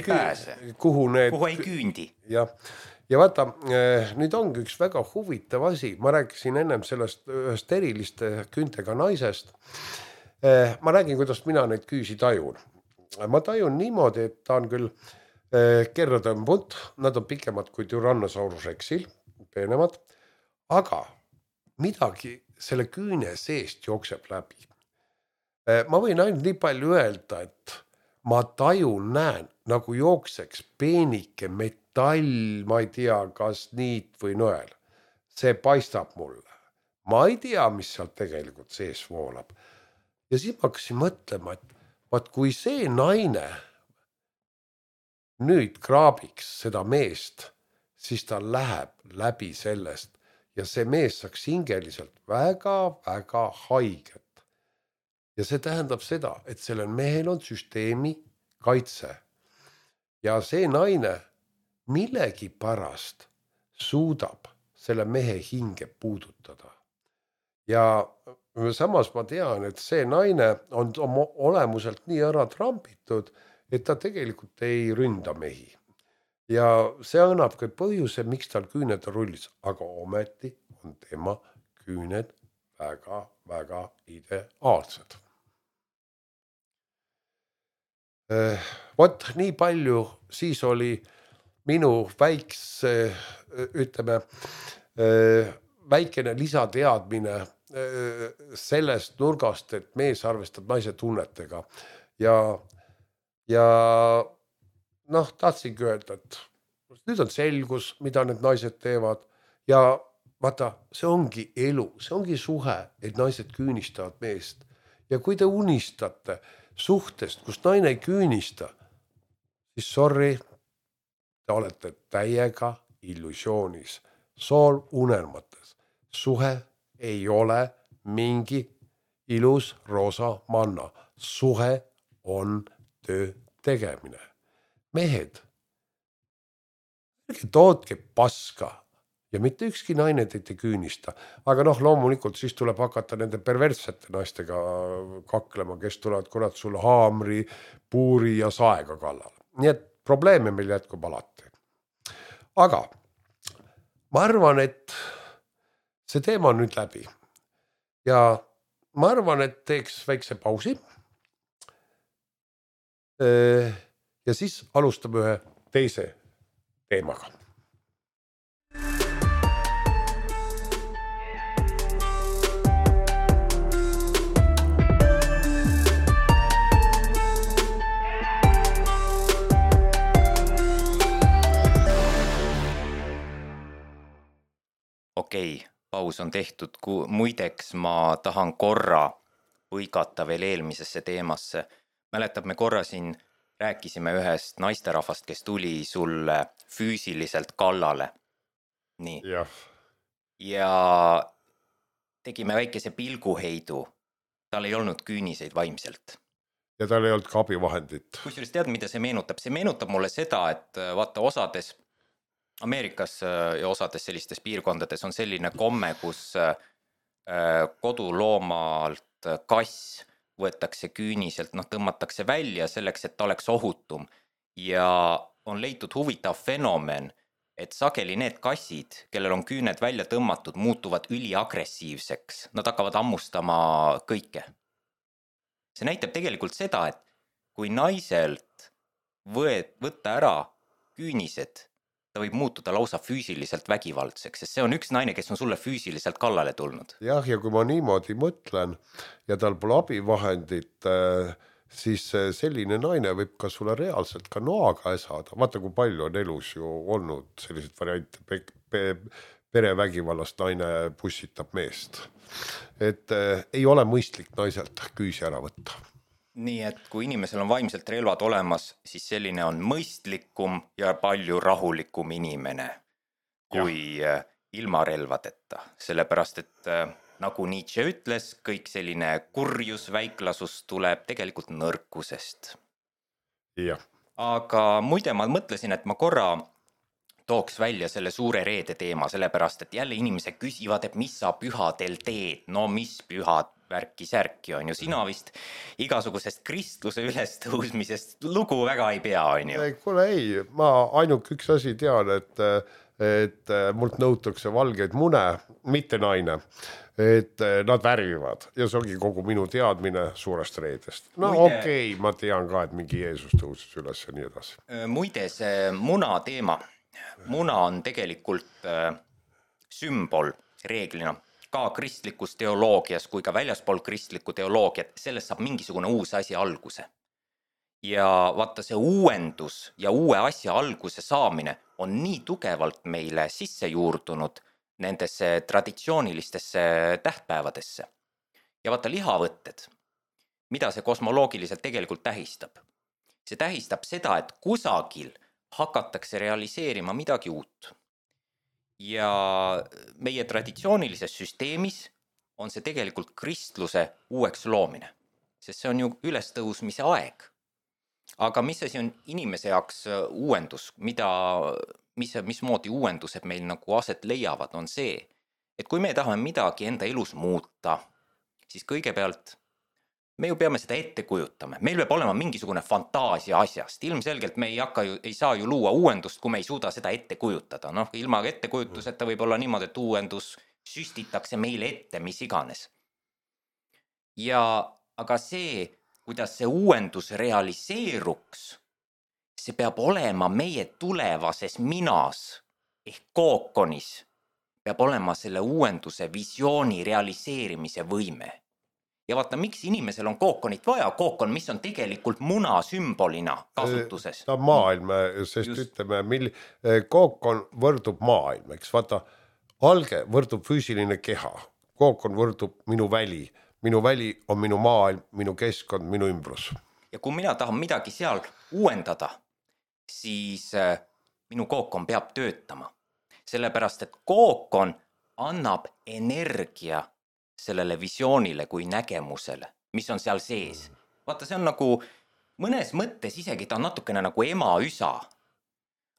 pääse. Kuhu ei küündi. Ja vaata, nüüd ongi üks väga huvitav asi. Ma rääkisin ennem sellest ühest eriliste küüntega naisest. Ma räägin, kuidas mina neid küüsi tajun. Ma tajun niimoodi, et ta on küll kerra tõmbunud, nad on pikemad kui Tyrannosaurus Rexil, peenemad, aga midagi selle küüne seest jookseb läbi. Ma võin ainult nii palju öelda, et ma näen, nagu jookseks peenike metall, ma ei tea, kas niit või nõel. See paistab mulle. Ma ei tea, mis seal tegelikult sees voolab. Ja siis ma hakkasin mõtlema, et vaat kui see naine nüüd kraabiks seda meest, siis ta läheb läbi sellest ja see mees saaks hingeliselt väga haiget. Ja see tähendab seda, et sellel mehel on süsteemi kaitse. Ja see naine millegi pärast suudab selle mehe hinge puudutada. Ja samas ma tean, et see naine on oma olemuselt nii ära trambitud, et ta tegelikult ei ründa mehi. Ja see annab ka põhjuse, miks tal küüned on rullis, aga ometi on tema küüned väga ideaalsed. Vot nii palju siis oli minu väikene lisateadmine sellest nurgast, et mees arvestab naise tunnetega ja tahtsingi öelda, et nüüd on selgus, mida need naised teevad ja vaata, see ongi elu, see ongi suhe, et naised küünistavad meest ja kui te unistate suhtest, kus naine ei küünista, siis sorry, te olete täiega illusioonis, sool unelmates. Suhe ei ole mingi ilus roosa manna. Suhe on töö tegemine. Mehed, ärge tootke paska ja mitte ükski naine teid ei küünista. Aga loomulikult siis tuleb hakata nende perverssete naistega kaklema, kes tulevad kurat sulle haamri, puuri ja saega kallale. Nii et probleeme meil jätkub alati. Aga ma arvan, et see teema on nüüd läbi. Ja ma arvan, et teeks väikse pausi. Ja siis alustame ühe teise teemaga. Okei, paus on tehtud. Muideks ma tahan korra põigata veel eelmisesse teemasse. Mäletab, me korra siin rääkisime ühest naisterahvast, kes tuli sulle füüsiliselt kallale. Nii. Ja tegime väikese pilguheidu. Tal ei olnud küüniseid vaimselt. Ja tal ei olnud ka abivahendit. Kusjuures tead, mida see meenutab? See meenutab mulle seda, et vaata osades Ameerikas ja osades sellistes piirkondades on selline komme, kus koduloomalt kass võetakse küüniselt, tõmmatakse välja selleks, et ta oleks ohutum. Ja on leitud huvitav fenomen, et sageli need kassid, kellel on küüned välja tõmmatud, muutuvad üliagressiivseks. Nad hakkavad hammustama kõike. See näitab tegelikult seda, et kui naiselt võtta ära küünised, ta võib muutuda lausa füüsiliselt vägivaldseks, sest see on üks naine, kes on sulle füüsiliselt kallale tulnud. Jah, ja kui ma niimoodi mõtlen ja tal pole abivahendit, siis selline naine võib ka sulle reaalselt ka noaga äsada. Vaata, kui palju on elus ju olnud sellised variante, perevägivallast naine pussitab meest. Et ei ole mõistlik naiselt küüsi ära võtta. Nii et kui inimesel on vaimselt relvad olemas, siis selline on mõistlikum ja palju rahulikum inimene kui ilma relvadeta. Sellepärast, et nagu Nietzsche ütles, kõik selline kurjus, väiklasus tuleb tegelikult nõrkusest. Ja. Aga muide ma mõtlesin, et ma korra tooks välja selle suure reede teema, sellepärast, et jälle inimesed küsivad, et mis sa pühadel teed? No mis pühad? Värki-särki on ju, sina vist igasugusest kristluse ülestõusmisest lugu väga ei pea, on ju? Kuule ei, ma ainult üks asi tean, et mult nõutakse valgeid mune, mitte naine, et nad värvivad ja see ongi kogu minu teadmine suurest reedest. Okei, ma tean ka, et mingi Jeesus tõusis üles ja nii edasi. Muide, see muna teema, muna on tegelikult sümbol reeglina ka kristlikus teoloogias kui ka väljaspool kristlikku teoloogiat, sellest saab mingisugune uus asi alguse. Ja vaata, see uuendus ja uue asja alguse saamine on nii tugevalt meile sisse juurdunud nendesse traditsioonilistesse tähtpäevadesse. Ja vaata, lihavõtted, mida see kosmoloogiliselt tegelikult tähistab? See tähistab seda, et kusagil hakatakse realiseerima midagi uut. Ja meie traditsioonilises süsteemis on see tegelikult kristluse uueks loomine, sest see on ju ülestõusmise aeg. Aga mis asi on inimese jaoks uuendus, mida mismoodi uuendused meil nagu aset leiavad, on see, et kui me tahame midagi enda elus muuta, siis kõigepealt me ju peame seda ette kujutama. Meil peab olema mingisugune fantaasia asjast. Ilmselgelt me ei saa ju luua uuendust, kui me ei suuda seda ette kujutada. Noh, ilma ettekujutuseta võib olla niimoodi, et uuendus süstitakse meile ette, mis iganes. Aga see, kuidas see uuendus realiseeruks, see peab olema meie tulevases minas ehk kookonis. Peab olema selle uuenduse visiooni realiseerimise võime. Ja vaata, miks inimesel on kookonit vaja? Kookon, mis on tegelikult muna sümbolina kasutuses. Ta on maailm, sest ütleme, kookon võrdub maailm, eks vaata, alge võrdub füüsiline keha, kookon võrdub minu väli on minu maailm, minu keskkond, minu ümbrus. Ja kui mina tahan midagi seal uuendada, siis minu kookon peab töötama. Sellepärast, et kookon annab energia sellele visioonile kui nägemusele, mis on seal sees. Vaata, see on nagu mõnes mõttes isegi ta on natukene nagu ema-üsa.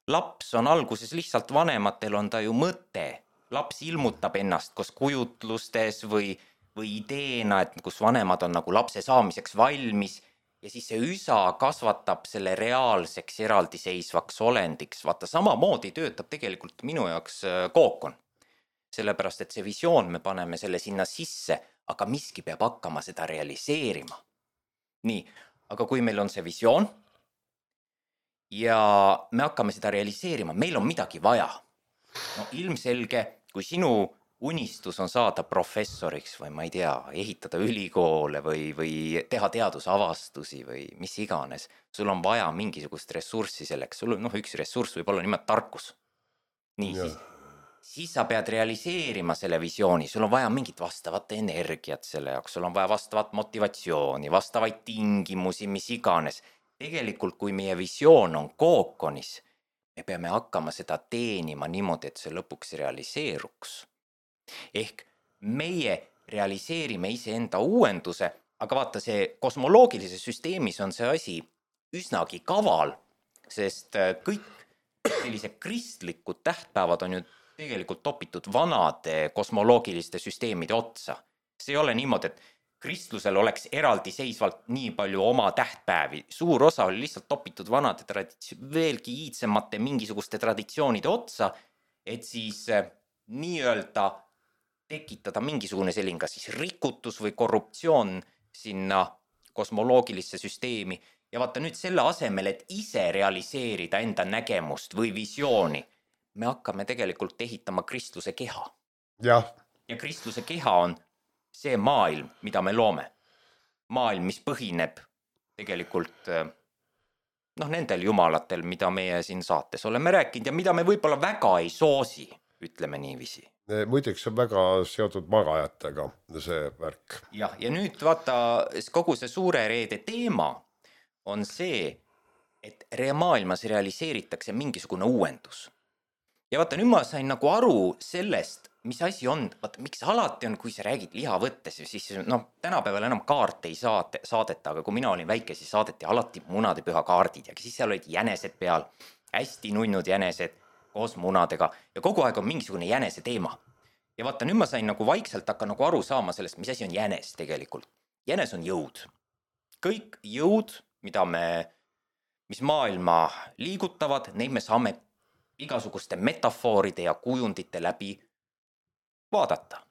Laps on alguses lihtsalt vanematel on ta ju mõte. Laps ilmutab ennast koos kujutlustes või ideena, et kus vanemad on nagu lapse saamiseks valmis ja siis see üsa kasvatab selle reaalseks eraldiseisvaks olendiks. Vaata, samamoodi töötab tegelikult minu jaoks kookon. Sellepärast, et see visioon me paneme selle sinna sisse, aga miski peab hakkama seda realiseerima. Nii, aga kui meil on see visioon ja me hakkame seda realiseerima, meil on midagi vaja. No ilmselge, kui sinu unistus on saada professoriks või ma ei tea, ehitada ülikoole või teha teadusavastusi või mis iganes, sul on vaja mingisugust ressurssi selleks. Sul üks ressurss võib olla nimelt tarkus. Nii, siis sa pead realiseerima selle visiooni, sul on vaja mingit vastavat energiat selle jaoks, sul on vaja vastavat motivatsiooni, vastavaid tingimusi, mis iganes. Tegelikult, kui meie visioon on kookonis, me peame hakkama seda teenima niimoodi, et see lõpuks realiseeruks. Ehk meie realiseerime iseenda uuenduse, aga vaata, see kosmoloogilises süsteemis on see asi üsnagi kaval, sest kõik sellised kristlikud tähtpäevad on ju tegelikult topitud vanade kosmoloogiliste süsteemide otsa. See ei ole niimoodi, et kristlusel oleks eraldiseisvalt nii palju oma tähtpäevi. Suur osa oli lihtsalt topitud vanade veelgi iidsemate mingisuguste traditsioonide otsa, et siis nii-öelda tekitada mingisugune selline kas siis rikutus või korruptsioon sinna kosmoloogilisse süsteemi. Ja vaata nüüd selle asemel, et ise realiseerida enda nägemust või visiooni, me hakkame tegelikult ehitama kristluse keha. Ja kristluse keha on see maailm, mida me loome. Maailm, mis põhineb tegelikult nendel jumalatel, mida meie siin saates oleme rääkinud ja mida me võib-olla väga ei soosi, ütleme niiviisi. Muideks on väga seotud magajatega see värk. Ja nüüd vaata, kogu see suure reede teema on see, et maailmas realiseeritakse mingisugune uuendus. Ja vaata, nüüd ma sain nagu aru sellest, mis asi on, vaata, miks alati on, kui sa räägid liha võttes, siis tänapäeval enam kaarte ei saadeta, aga kui mina olin väike, siis saadeti alati munadepüha kaardid ja siis seal olid jänesed peal, hästi nunnud jänesed koos munadega ja kogu aeg on mingisugune jänese teema. Ja vaata, nüüd ma sain nagu vaikselt hakka nagu aru saama sellest, mis asi on jänes tegelikult. Jänes on jõud. Kõik jõud, mis maailma liigutavad, neid me saame igasuguste metafooride ja kujundite läbi vaadata.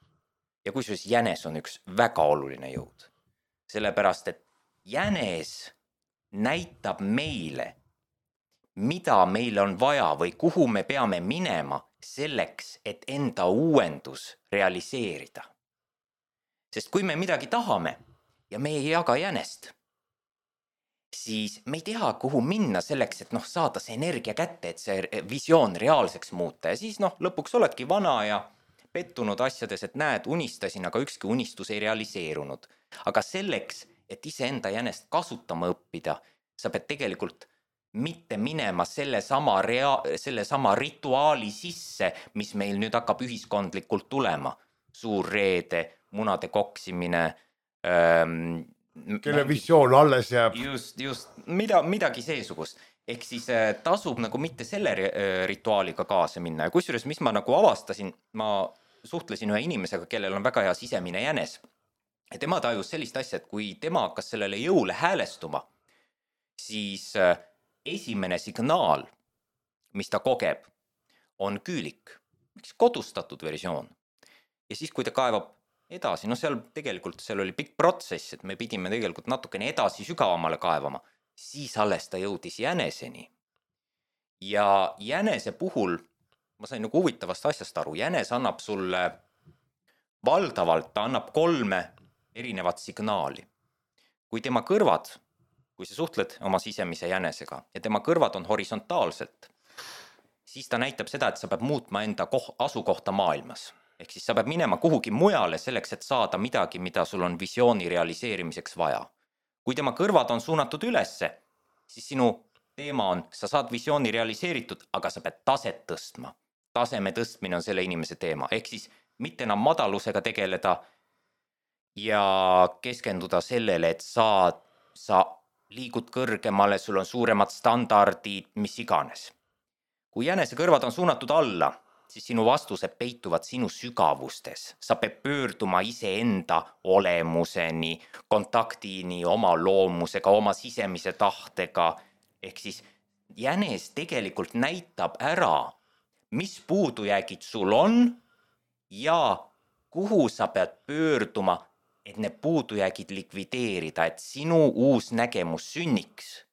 Ja kusjuures jänes on üks väga oluline jõud. Sellepärast, et jänes näitab meile, mida meil on vaja või kuhu me peame minema selleks, et enda uuendus realiseerida. Sest kui me midagi tahame ja me ei jaga jänest, siis me ei tea, kuhu minna selleks, et saada see energia kätte, et see visioon reaalseks muuta. Ja siis lõpuks oledki vana ja pettunud asjades, et näed, unistasin, aga ükski unistus ei realiseerunud. Aga selleks, et iseenda jänest kasutama õppida, sa pead tegelikult mitte minema selle sama rituaali sisse, mis meil nüüd hakkab ühiskondlikult tulema. Suur reede, munade koksimine, kelle visioon alles jääb. Just, midagi seesugust. ehk siis tasub nagu mitte selle rituaaliga kaasa minna ja kusjuures, mis ma nagu avastasin, ma suhtlesin ühe inimesega, kellel on väga hea sisemine jänes ja tema tajus sellist asja, et kui tema hakkas sellele jõule häälestuma, siis esimene signaal, mis ta kogeb, on küülik, üks kodustatud versioon. Ja siis, kui ta kaevab edasi, no seal tegelikult seal oli pikk protsess, et me pidime tegelikult natukene edasi sügavamale kaevama, siis alles ta jõudis jäneseni. Ja jänese puhul, ma sain nagu huvitavast asjast aru, jänes annab sulle valdavalt, ta annab 3 erinevat signaali. Kui tema kõrvad, kui sa suhtled oma sisemise jänesega ja tema kõrvad on horisontaalselt, siis ta näitab seda, et sa pead muutma enda asukohta maailmas. Ehk siis sa pead minema kuhugi mujale selleks, et saada midagi, mida sul on visiooni realiseerimiseks vaja. Kui tema kõrvad on suunatud ülesse, siis sinu teema on, sa saad visiooni realiseeritud, aga sa pead taset tõstma. Taseme tõstmine on selle inimese teema. Ehk siis mitte enam madalusega tegeleda ja keskenduda sellele, et sa liigud kõrgemale, sul on suuremad standardid, mis iganes. Kui jänese kõrvad on suunatud alla, siis sinu vastused peituvad sinu sügavustes. Sa pead pöörduma iseenda olemuseni, kontaktini oma loomusega, oma sisemise tahtega. Ehk siis jänes tegelikult näitab ära, mis puudujäägid sul on ja kuhu sa pead pöörduma, et need puudujäägid likvideerida, et sinu uus nägemus sünniks.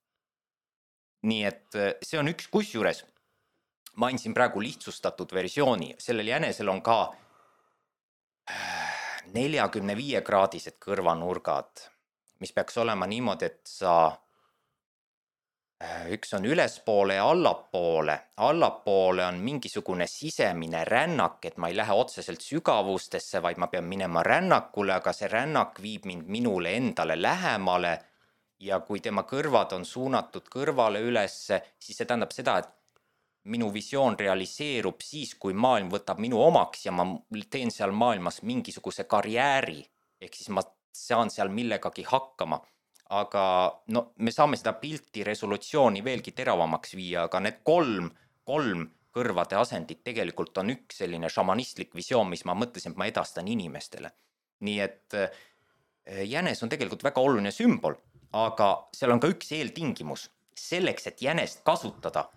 Nii et see on üks kusjuures. Ma andsin praegu lihtsustatud versiooni. Sellel jänesel on ka 45-kraadised kõrvanurgad, mis peaks olema niimoodi, et üks on ülespoole ja allapoole. Allapoole on mingisugune sisemine rännak, et ma ei lähe otseselt sügavustesse, vaid ma pean minema rännakule, aga see rännak viib mind minule endale lähemale. Ja kui tema kõrvad on suunatud kõrvale ülesse, siis see tähendab seda, et minu visioon realiseerub siis, kui maailm võtab minu omaks ja ma teen seal maailmas mingisuguse karjääri, ehk siis ma saan seal millegagi hakkama. Aga no, me saame seda pilti resolutsiooni veelgi teravamaks viia, aga need kolm kõrvade asendit tegelikult on üks selline šamanistlik visioon, mis ma mõtlesin, et ma edastan inimestele. Nii et jänes on tegelikult väga oluline sümbol, aga seal on ka üks eeltingimus. Selleks, et jänest kasutada,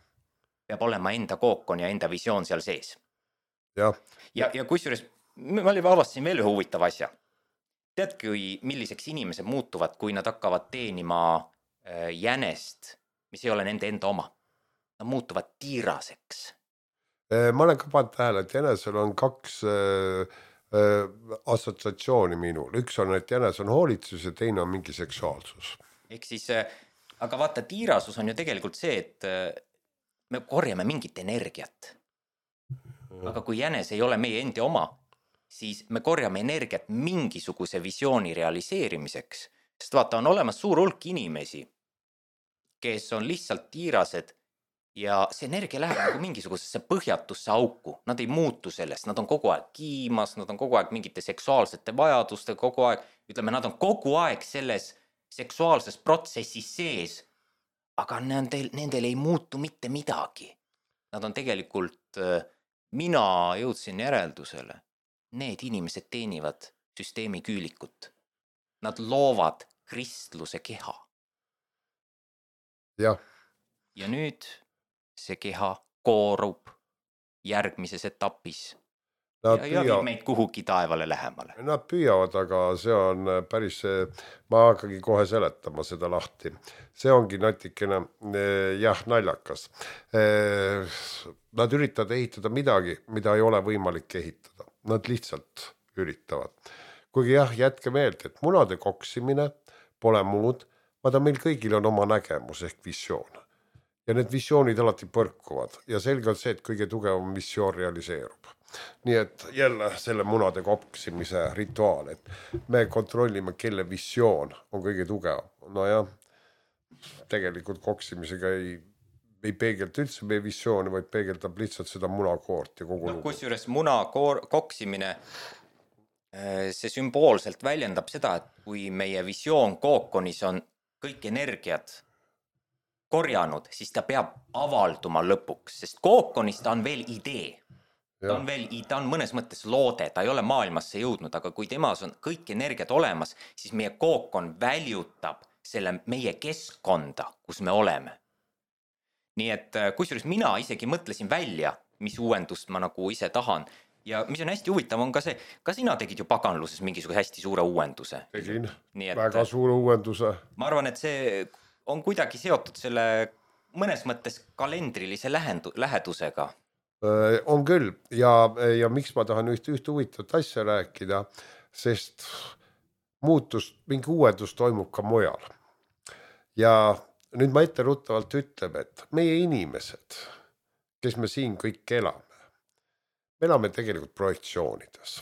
peab olema enda kookon ja enda visioon seal sees. Ja kusjuures ma avastasin veel ühe huvitava asja. Tead, milliseks inimesed muutuvad, kui nad hakkavad teenima jänest, mis ei ole nende enda oma? Nad muutuvad tiiraseks. Ma olen ka pannud tähele, et jänesel on 2 assotsiatsiooni minul. Üks on, et jänes on hoolitsus ja teine on mingi seksuaalsus. Ehk siis, aga vaata, tiirasus on ju tegelikult see, et me korjame mingit energiat. Aga kui jänes ei ole meie endi oma, siis me korjame energiat mingisuguse visiooni realiseerimiseks. Sest vaata, on olemas suur hulk inimesi, kes on lihtsalt tiirased ja see energia läheb nagu mingisugusesse põhjatusse auku. Nad ei muutu sellest, nad on kogu aeg kiimas, nad on kogu aeg mingite seksuaalsete vajaduste, kogu aeg, ütleme, nad on kogu aeg selles seksuaalses protsessis sees, aga nendel ei muutu mitte midagi. Nad on tegelikult, mina jõudsin järeldusele, need inimesed teenivad süsteemi küülikut. Nad loovad kristluse keha. Ja nüüd see keha koorub järgmises etapis ja viib meid kuhugi taevale lähemale. Nad püüavad, aga see on päris, ma hakkagi kohe seletama seda lahti. See ongi natikene, naljakas. Nad üritavad ehitada midagi, mida ei ole võimalik ehitada. Nad lihtsalt üritavad. Kuigi jätke meelde, et munade koksimine pole muud, vaata meil kõigil on oma nägemus ehk visioon. Ja need visioonid alati põrkuvad ja selge on see, et kõige tugevam visioon realiseerub. Nii et jälle selle munade koksimise rituaal, et me kontrollime, kelle visioon on kõige tugevam. No ja tegelikult koksimisega ei peegelda üldse meie visiooni, vaid peegeldab lihtsalt seda munakoort ja kogu lugu. Kusjuures koksimine, see sümboolselt väljendab seda, et kui meie visioon kookonis on kõik energiad korjanud, siis ta peab avalduma lõpuks, sest kookonis ta on veel idee. Ta on mõnes mõttes loode, ta ei ole maailmasse jõudnud, aga kui temas on kõik energiat olemas, siis meie kookon väljutab selle meie keskkonda, kus me oleme. Nii et kusjuures mina isegi mõtlesin välja, mis uuendust ma nagu ise tahan. Ja mis on hästi huvitav on ka see, ka sina tegid ju paganluses mingisuguse hästi suure uuenduse. Tegin, väga suure uuenduse. Ma arvan, et see on kuidagi seotud selle mõnes mõttes kalendrilise lähedusega. On küll ja miks ma tahan ühte huvitavat asja rääkida, sest mingi uuendus toimub ka mujal. Ja nüüd ma etteruttavalt ütleb, et meie inimesed, kes me siin kõik me elame tegelikult projektsioonides.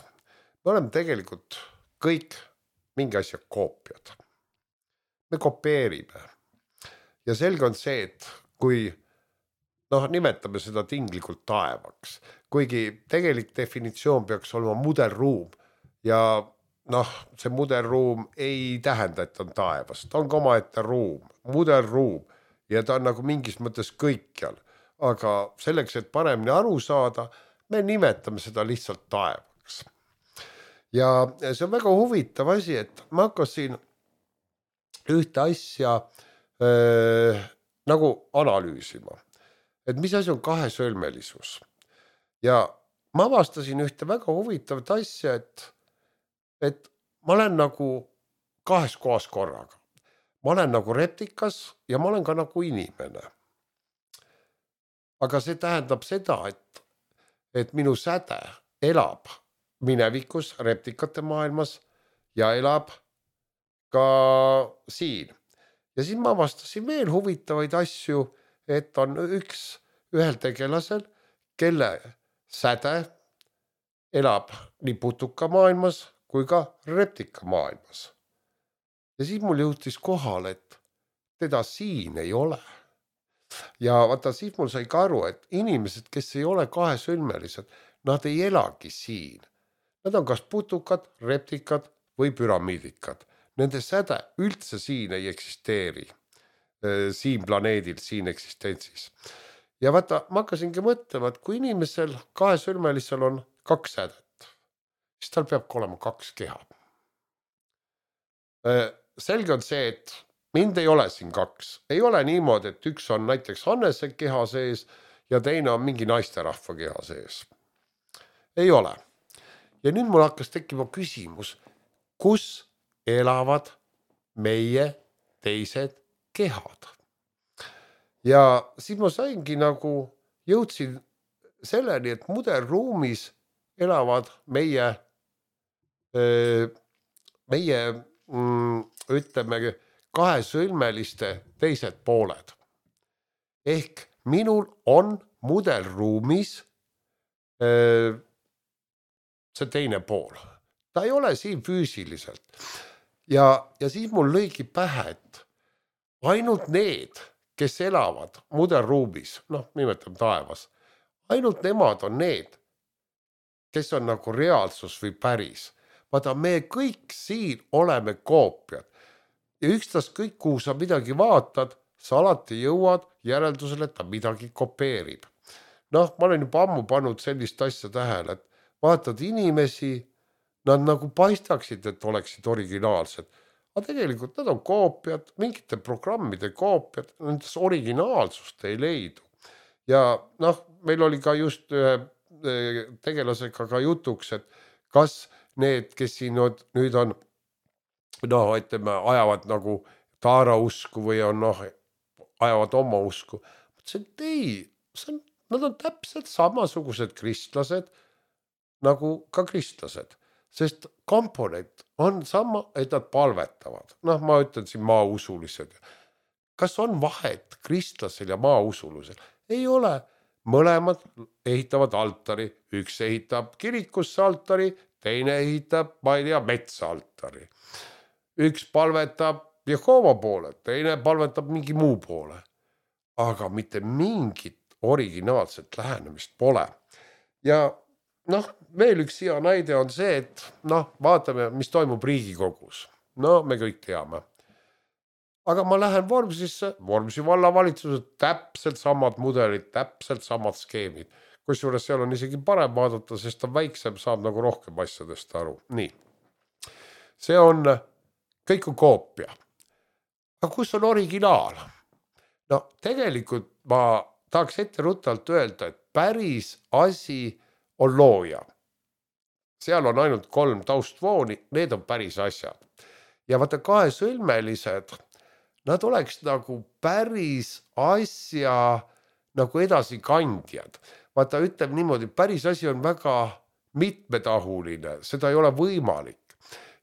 Me oleme tegelikult kõik mingi asja koopiad. Me kopeerime. Ja selge on see, et kui nimetame seda tinglikult taevaks, kuigi tegelik definitsioon peaks olema mudelruum ja see mudelruum ei tähenda, et on taevas, ta on ka omaette ruum, mudelruum ja ta on nagu mingis mõttes kõikjal, aga selleks, et paremini aru saada, me nimetame seda lihtsalt taevaks. Ja see on väga huvitav asi, et ma hakkasin ühte asja nagu analüüsima. Et mis asi on kahesõlmelisus. Ja ma avastasin ühte väga huvitavat asja, et ma olen nagu kahes kohas korraga. Ma olen nagu replikas ja ma olen ka nagu inimene. Aga see tähendab seda, et minu säde elab minevikus replikate maailmas ja elab ka siin. Ja siis ma avastasin veel huvitavaid asju, et on ühel tegelasel, kelle säde elab nii putuka maailmas kui ka replika maailmas. Ja siis mul jõutis kohale, et teda siin ei ole. Ja vaata, siis mul sai ka aru, et inimesed, kes ei ole kahesõlmelised, nad ei elagi siin. Nad on kas putukad, replikad või püramiidikad. Nende säde üldse siin ei eksisteeri. Siin planeedil, siin eksistentsis. Ja vaata, ma hakkasingi mõtlema, et kui inimesel kahesõlmelisel on 2 sädet, siis tal peab olema 2 keha. Selge on see, et mind ei ole siin 2. Ei ole niimoodi, et üks on näiteks Hannese keha sees ja teine on mingi naisterahva keha sees. Ei ole. Ja nüüd mul hakkas tekkima küsimus, kus elavad meie teised kehad. Ja siis ma saingi nagu, jõudsin selleni, et mudelruumis elavad meie ütleme kahesõlmeliste teised pooled. Ehk minul on mudelruumis see teine pool. Ta ei ole siin füüsiliselt. Ja siis mul lõigi pähe, et ainult need, kes elavad mudelruumis, nimetame taevas, ainult nemad on need, kes on nagu reaalsus või päris. Vaata, me kõik siin oleme koopiad. Ja ükstaskõik, kuhu sa midagi vaatad, sa alati jõuad järeldusele, et ta midagi kopeerib. Ma olen juba ammu pannud sellist asja tähele, et vaatad inimesi, nad nagu paistaksid, et oleksid originaalsed. Aga tegelikult nad on koopiad, mingite programmide koopiad, nendes originaalsust ei leidu. Ja meil oli ka just tegelasega ka jutuks, et kas need, kes siin nüüd on, ütleme, ajavad nagu taara usku või on, ajavad oma usku. Mõtlesin, et ei, nad on täpselt samasugused kristlased nagu ka kristlased. Sest komponent on sama, et nad palvetavad. Ma ütlen siin maausulised. Kas on vahet kristlasel ja maausulisel? Ei ole. Mõlemad ehitavad altari. Üks ehitab kirikusse altari, teine ehitab, ma ei tea, metsa altari. Üks palvetab Jehova poole, teine palvetab mingi muu poole. Aga mitte mingit originaalset lähenemist pole. Ja veel üks hea näide on see, et vaatame, mis toimub Riigikogus. Me kõik teame. aga ma lähen Vormsisse, Vormsi vallavalitsused, täpselt samad mudelid, täpselt samad skeemid. Kusjuures seal on isegi parem vaadata, sest ta väiksem, saab nagu rohkem asjadest aru. Nii, see on, kõik on koopia. Aga kus on originaal? No tegelikult ma tahaks etteruttavalt öelda, et päris asi on looja. Seal on ainult 3 taustvooni, need on päris asjad. Ja vaata kahesõlmelised, nad oleks nagu päris asja nagu edasikandjad. Vaata ütleb niimoodi, päris asi on väga mitmetahuline, seda ei ole võimalik.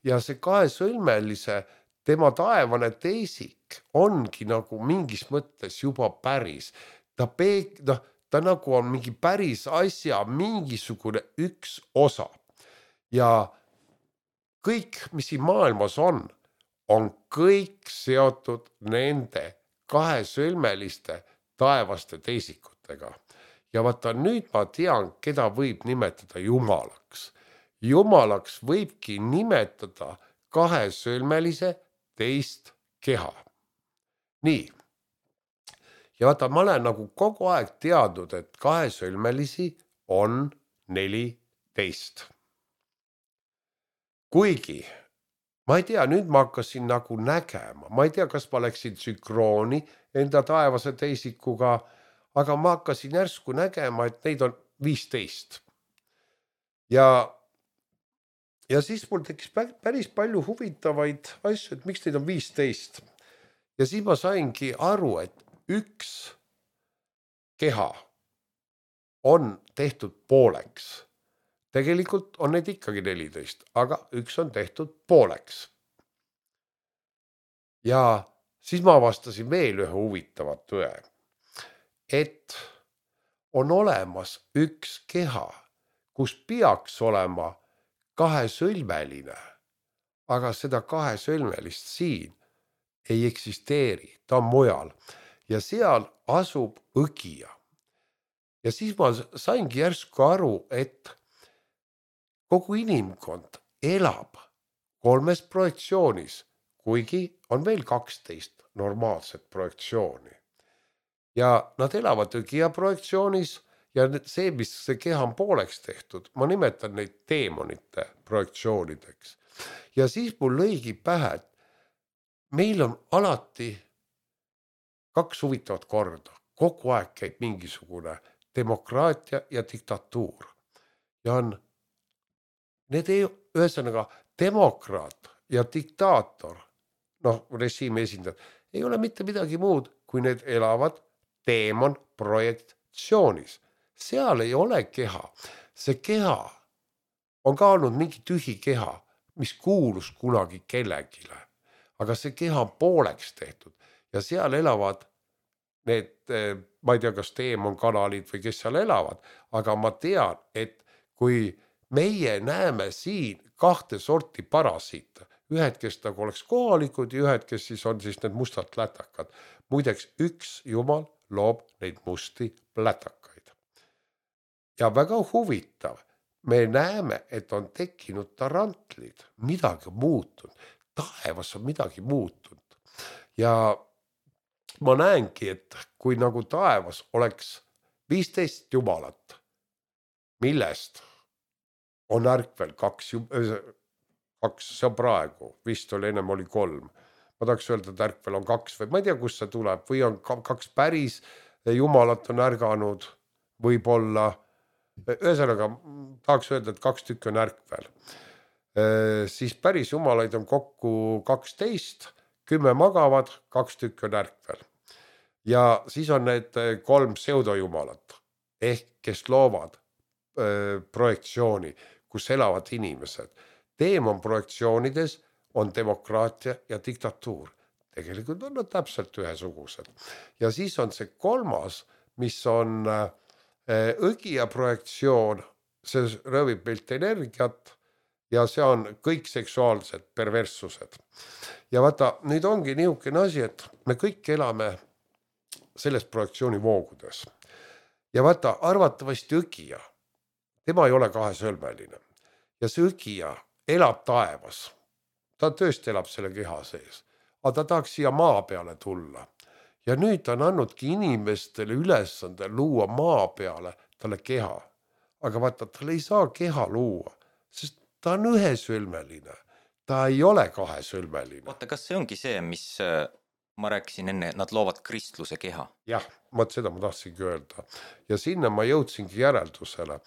Ja see kahesõlmelise, tema taevane teisik ongi nagu mingis mõttes juba päris. Ta nagu on mingi päris asja mingisugune üks osa. Ja kõik, mis siin maailmas on kõik seotud nende kahesõlmeliste taevaste teisikutega. Ja vaata nüüd ma tean, keda võib nimetada jumalaks. Jumalaks võibki nimetada kahesõlmelise teist keha. Nii. Ja vaata, ma olen nagu kogu aeg teadnud, et kahesõlmelisi on 14. Kuigi, ma ei tea, nüüd ma hakkasin nagu nägema. Ma ei tea, kas ma läksin sünkrooni enda taevase teisikuga, aga ma hakkasin järsku nägema, et neid on 15. Ja siis mul tekkis päris palju huvitavaid asju, et miks neid on 15. Ja siis ma saingi aru, et üks keha on tehtud pooleks. Tegelikult on neid ikkagi 14, aga üks on tehtud pooleks. Ja siis ma avastasin veel ühe huvitavat tõe, et on olemas üks keha, kus peaks olema kahesõlmeline, aga seda kahesõlmelist siin ei eksisteeri, ta on mujal ja seal asub õgija. Ja siis ma saingi järsku aru, et kogu inimkond elab 3 projektsioonis, kuigi on veel 12 normaalset projektsiooni. Ja nad elavad õgija projektsioonis ja see, mis see keha on pooleks tehtud, ma nimetan neid teemonite projektsioonideks. Ja siis mul lõigi pähe, et meil on alati 2 huvitavat korda. Kogu aeg käib mingisugune demokraatia ja diktatuur. Ja on need ühesõnaga demokraat ja diktaator, režiimi esindajad, ei ole mitte midagi muud, kui need elavad teemon projektsioonis. Seal ei ole keha. See keha on ka olnud mingi tühi keha, mis kuulus kunagi kellegile. Aga see keha on pooleks tehtud ja seal elavad need, ma ei tea, kas teemon kanalid või kes seal elavad, aga ma tean, et kui meie näeme siin 2 sorti parasiite, ühed, kes nagu oleks kohalikud ja ühed, kes siis on siis need mustad lätakad. Muideks, üks jumal loob neid musti lätakaid. Ja väga huvitav, me näeme, et on tekkinud tarantlid, midagi on muutunud, taevas on midagi muutunud. Ja ma näengi, et kui nagu taevas oleks 15 jumalat, millest on ärkvel 2, see on praegu, vist oli ennem oli 3. Ma tahaks öelda, et ärkvel on 2 või ma ei tea, kust see tuleb, või on 2 päris jumalat on ärganud, võib-olla, ühesõnaga tahaks öelda, et 2 tükki on ärkvel. Siis päris jumalaid on kokku 12, 10 magavad, 2 tükki on ärkvel. Ja siis on need 3 pseudojumalat, ehk kes loovad projektsiooni, kus elavad inimesed. Teemon projektsioonides on demokraatia ja diktatuur. Tegelikult on nad täpselt ühesugused. Ja siis on see 3, mis on õgija projektsioon, see röövib meilt energiat ja see on kõik seksuaalsed perverssused. Ja vaata, nüüd ongi niisugune asi, et me kõik elame selles projektsiooni voogudes. Ja vaata, arvatavasti õgija, tema ei ole kahesõlmeline. Ja see õgija elab taevas. Ta tõesti elab selle keha sees. aga ta tahaks siia maa peale tulla. Ja nüüd ta on andnudki inimestele ülesande luua maa peale talle keha. Aga vaata, tal ei saa keha luua, sest ta on ühesülmeline. Ta ei ole kahesülmeline. Oota, kas see ongi see, mis ma rääkisin enne, nad loovad kristluse keha? Jah, seda ma tahtsingi öelda. Ja sinna ma jõudsingi järeldusele.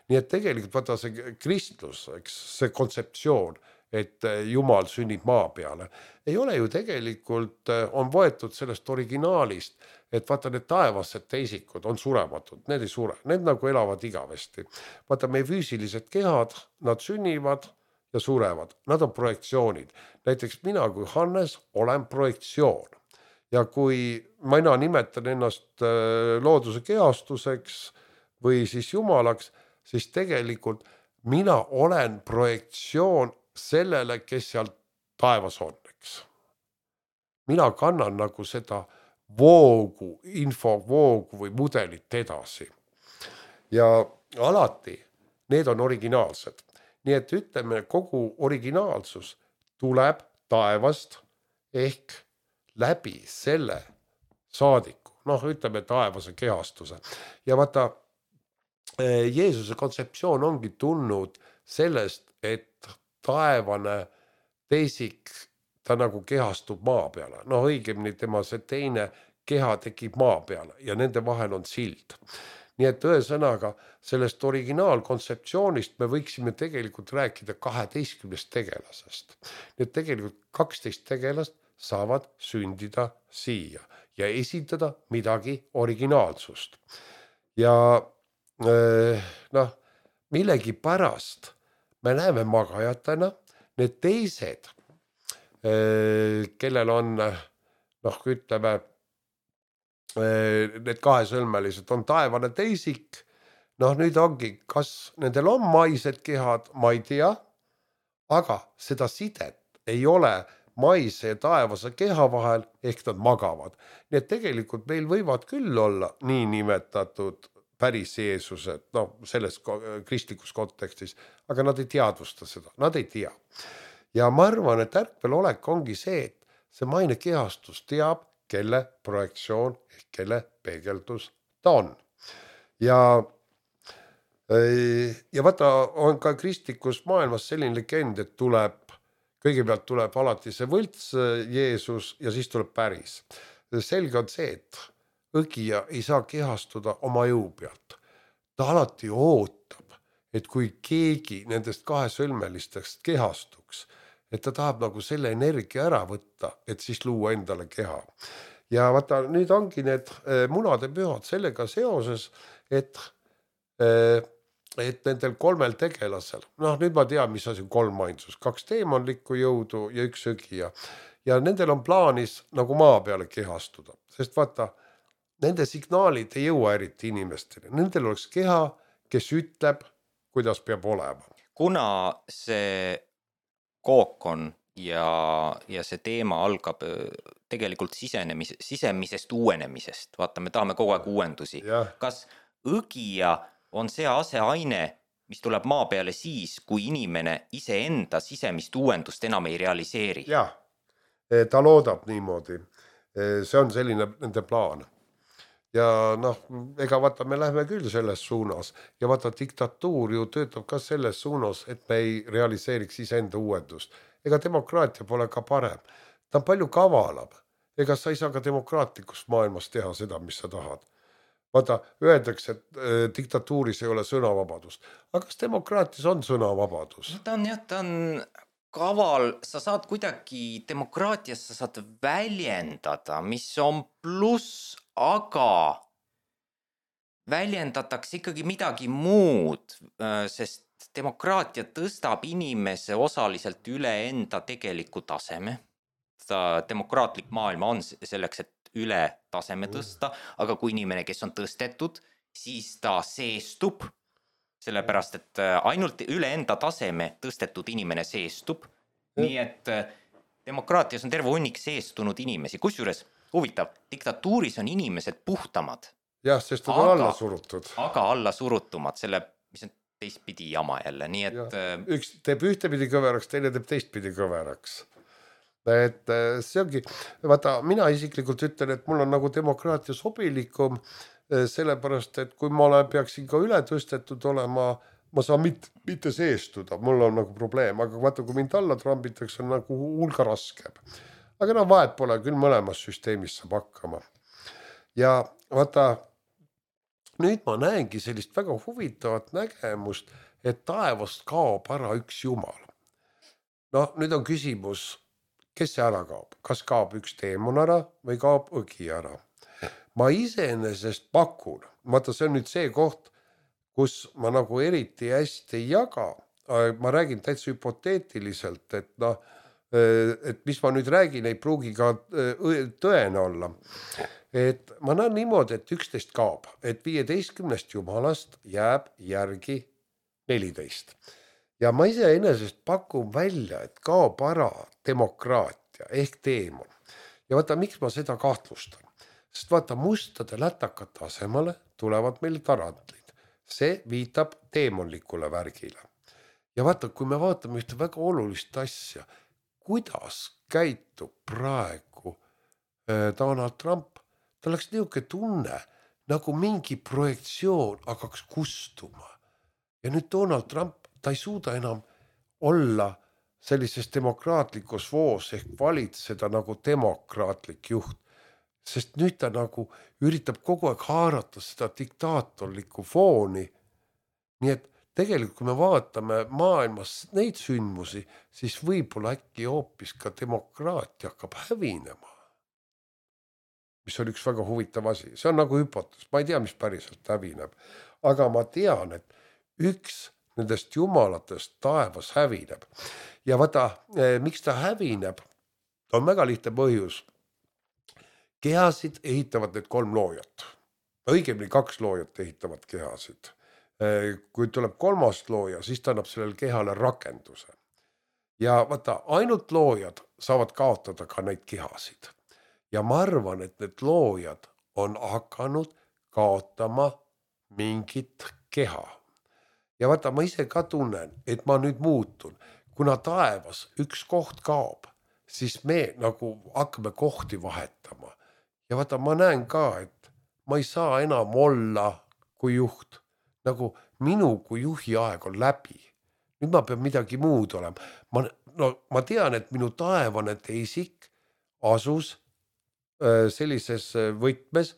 Nii et tegelikult vaata see kristlus, see kontseptsioon, et Jumal sünnib maa peale, ei ole ju tegelikult, on võetud sellest originaalist, et vaata need taevased teisikud on surematud, need ei sure, need nagu elavad igavesti. Vaata meie füüsilised kehad, nad sünnivad ja surevad, nad on projektsioonid. Näiteks mina kui Hannes olen projektsioon. Ja kui mina nimetan ennast looduse kehastuseks või siis Jumalaks, siis tegelikult mina olen projektsioon sellele, kes seal taevas on, eks. Mina kannan nagu seda voogu, infovoogu või mudelit edasi. Ja alati need on originaalsed. Nii et ütleme, kogu originaalsus tuleb taevast ehk läbi selle saadiku, ütleme taevase kehastuse. Ja vaata, Jeesuse kontseptsioon ongi tulnud sellest, et taevane teisik, ta nagu kehastub maa peale. Õigemini tema see teine keha tekib maa peale ja nende vahel on sild. Nii et ühesõnaga sellest originaalkontseptsioonist me võiksime tegelikult rääkida 12 tegelasest. Nii et tegelikult 12 tegelast saavad sündida siia ja esitada midagi originaalsust. Ja millegi pärast me näeme magajatena, need teised, kellel on, ütleme, need kahesõlmelised on taevane teisik, nüüd ongi, kas nendel on maised kehad, ma ei tea, aga seda sidet ei ole maise ja taevase keha vahel, ehk nad magavad. Nii et tegelikult meil võivad küll olla nii nimetatud päris Jeesused, selles kristlikus kontekstis, aga nad ei teadvusta seda, nad ei tea. Ja ma arvan, et ärkvelolek ongi see, et see maine kehastus teab, kelle projektsioon ehk kelle peegeldus ta on. Ja vaata, on ka kristlikus maailmas selline legend, et kõigepealt tuleb alati see võlts Jeesus ja siis tuleb päris. Selge on see, et õgija ei saa kehastuda oma jõu pealt. Ta alati ootab, et kui keegi nendest kahesõlmelistest kehastuks, et ta tahab nagu selle energia ära võtta, et siis luua endale keha. Ja vaata, nüüd ongi need munade pühad sellega seoses, et nendel 3 tegelasel, nüüd ma tean, mis asi on 3 ainsus, 2 teemonlikku jõudu ja 1 õgija. Ja nendel on plaanis nagu maa peale kehastuda, sest vaata, nende signaalid ei jõua eriti inimestele. Nendel oleks keha, kes ütleb, kuidas peab olema. Kuna see kookon ja see teema algab tegelikult sisemisest uuenemisest, vaata, me tahame kogu aeg uuendusi. Kas õgija on see aseaine, mis tuleb maa peale siis, kui inimene iseenda sisemist uuendust enam ei realiseeri? Jah, ta loodab niimoodi. See on selline nende plaan. Ja ega vaata, me lähme küll selles suunas ja vaata, diktatuur ju töötab ka selles suunas, et me ei realiseeriks iseenda uuendust. Ega demokraatia pole ka parem. Ta on palju kavalam. Ega sa ei saa ka demokraatlikus maailmas teha seda, mis sa tahad. Vaata, öeldakse, et diktatuuris ei ole sõnavabadust. Aga kas demokraatias on sõnavabadus? Ta on kaval, sa saad kuidagi demokraatias, sa saad väljendada, mis on pluss, aga väljendatakse ikkagi midagi muud, sest demokraatia tõstab inimese osaliselt üle enda tegeliku taseme. Demokraatlik maailma on selleks, et üle taseme tõsta, aga kui inimene, kes on tõstetud, siis ta seestub, sellepärast, et ainult üle enda taseme tõstetud inimene seestub. Nii et demokraatias on terve hunnik seestunud inimesi. Kusjuures huvitav, diktatuuris on inimesed puhtamad. Jah, sest nad on alla surutud. Aga alla surutumad, mis on teistpidi jama jälle. Nii et üks teeb ühtepidi kõveraks, teine teeb teistpidi kõveraks. et see ongi, vaata, mina isiklikult ütlen, et mul on nagu demokraatia sobilikum, sellepärast, et kui ma peaksin ka üle tõstetud olema, ma saan mitte seestuda, mul on nagu probleem, aga vaata, kui mind alla trambitakse, on nagu hulga raskem. Aga no vahet pole, küll mõlemas süsteemis saab hakkama. Ja vaata, nüüd ma näengi sellist väga huvitavat nägemust, et taevast kaob ära üks jumal. No nüüd on küsimus, kes see ära kaob? Kas kaob üks teemon ära või kaob õgi ära? Ma iseenesest pakun, vaata, see on nüüd see koht, kus ma nagu eriti hästi ei jaga, ma räägin täitsa hüpoteetiliselt, et noh, et mis ma nüüd räägin, ei pruugi ka tõene olla. Et ma näen niimoodi, et 11 kaob, et 15 jumalast jääb järgi 14. Ja ma iseenesest pakun välja, et kaob ära demokraatia ehk teemon. Ja vaata, miks ma seda kahtlustan? Sest vaata, mustade lätakate asemale tulevad meil tarantlid. See viitab teemonlikule värgile. Ja vaata, kui me vaatame ühte väga olulist asja, kuidas käitub praegu Donald Trump, ta oleks niisugune tunne, nagu mingi projektsioon hakkaks kustuma. Ja nüüd Donald Trump, ta ei suuda enam olla sellises demokraatlikus voos ehk valitseda nagu demokraatlik juht. Sest nüüd ta nagu üritab kogu aeg haarata seda diktaatorlikku fooni. Nii et tegelikult, kui me vaatame maailmas neid sündmusi, siis võib-olla äkki hoopis ka demokraatia hakkab hävinema. Mis on üks väga huvitav asi. See on nagu hüpotees. Ma ei tea, mis päriselt hävineb. Aga ma tean, et üks nendest jumalatest taevas hävineb. Ja vaata, miks ta hävineb, on väga lihtne põhjus. Kehasid ehitavad need 3 loojat. Õigemini 2 loojat ehitavad kehasid. Kui tuleb 3. looja, siis ta annab sellele kehale rakenduse. Ja vaata, ainult loojad saavad kaotada ka neid kehasid. Ja ma arvan, et need loojad on hakanud kaotama mingit keha. Ja vaata, ma ise ka tunnen, et ma nüüd muutun. Kuna taevas üks koht kaob, siis me nagu hakkame kohti vahetama. Ja vaata, ma näen ka, et ma ei saa enam olla kui juht. Nagu minu kui juhi aeg on läbi. Nüüd ma pean midagi muud olema. Ma tean, et minu taevane teisik asus sellises võtmes,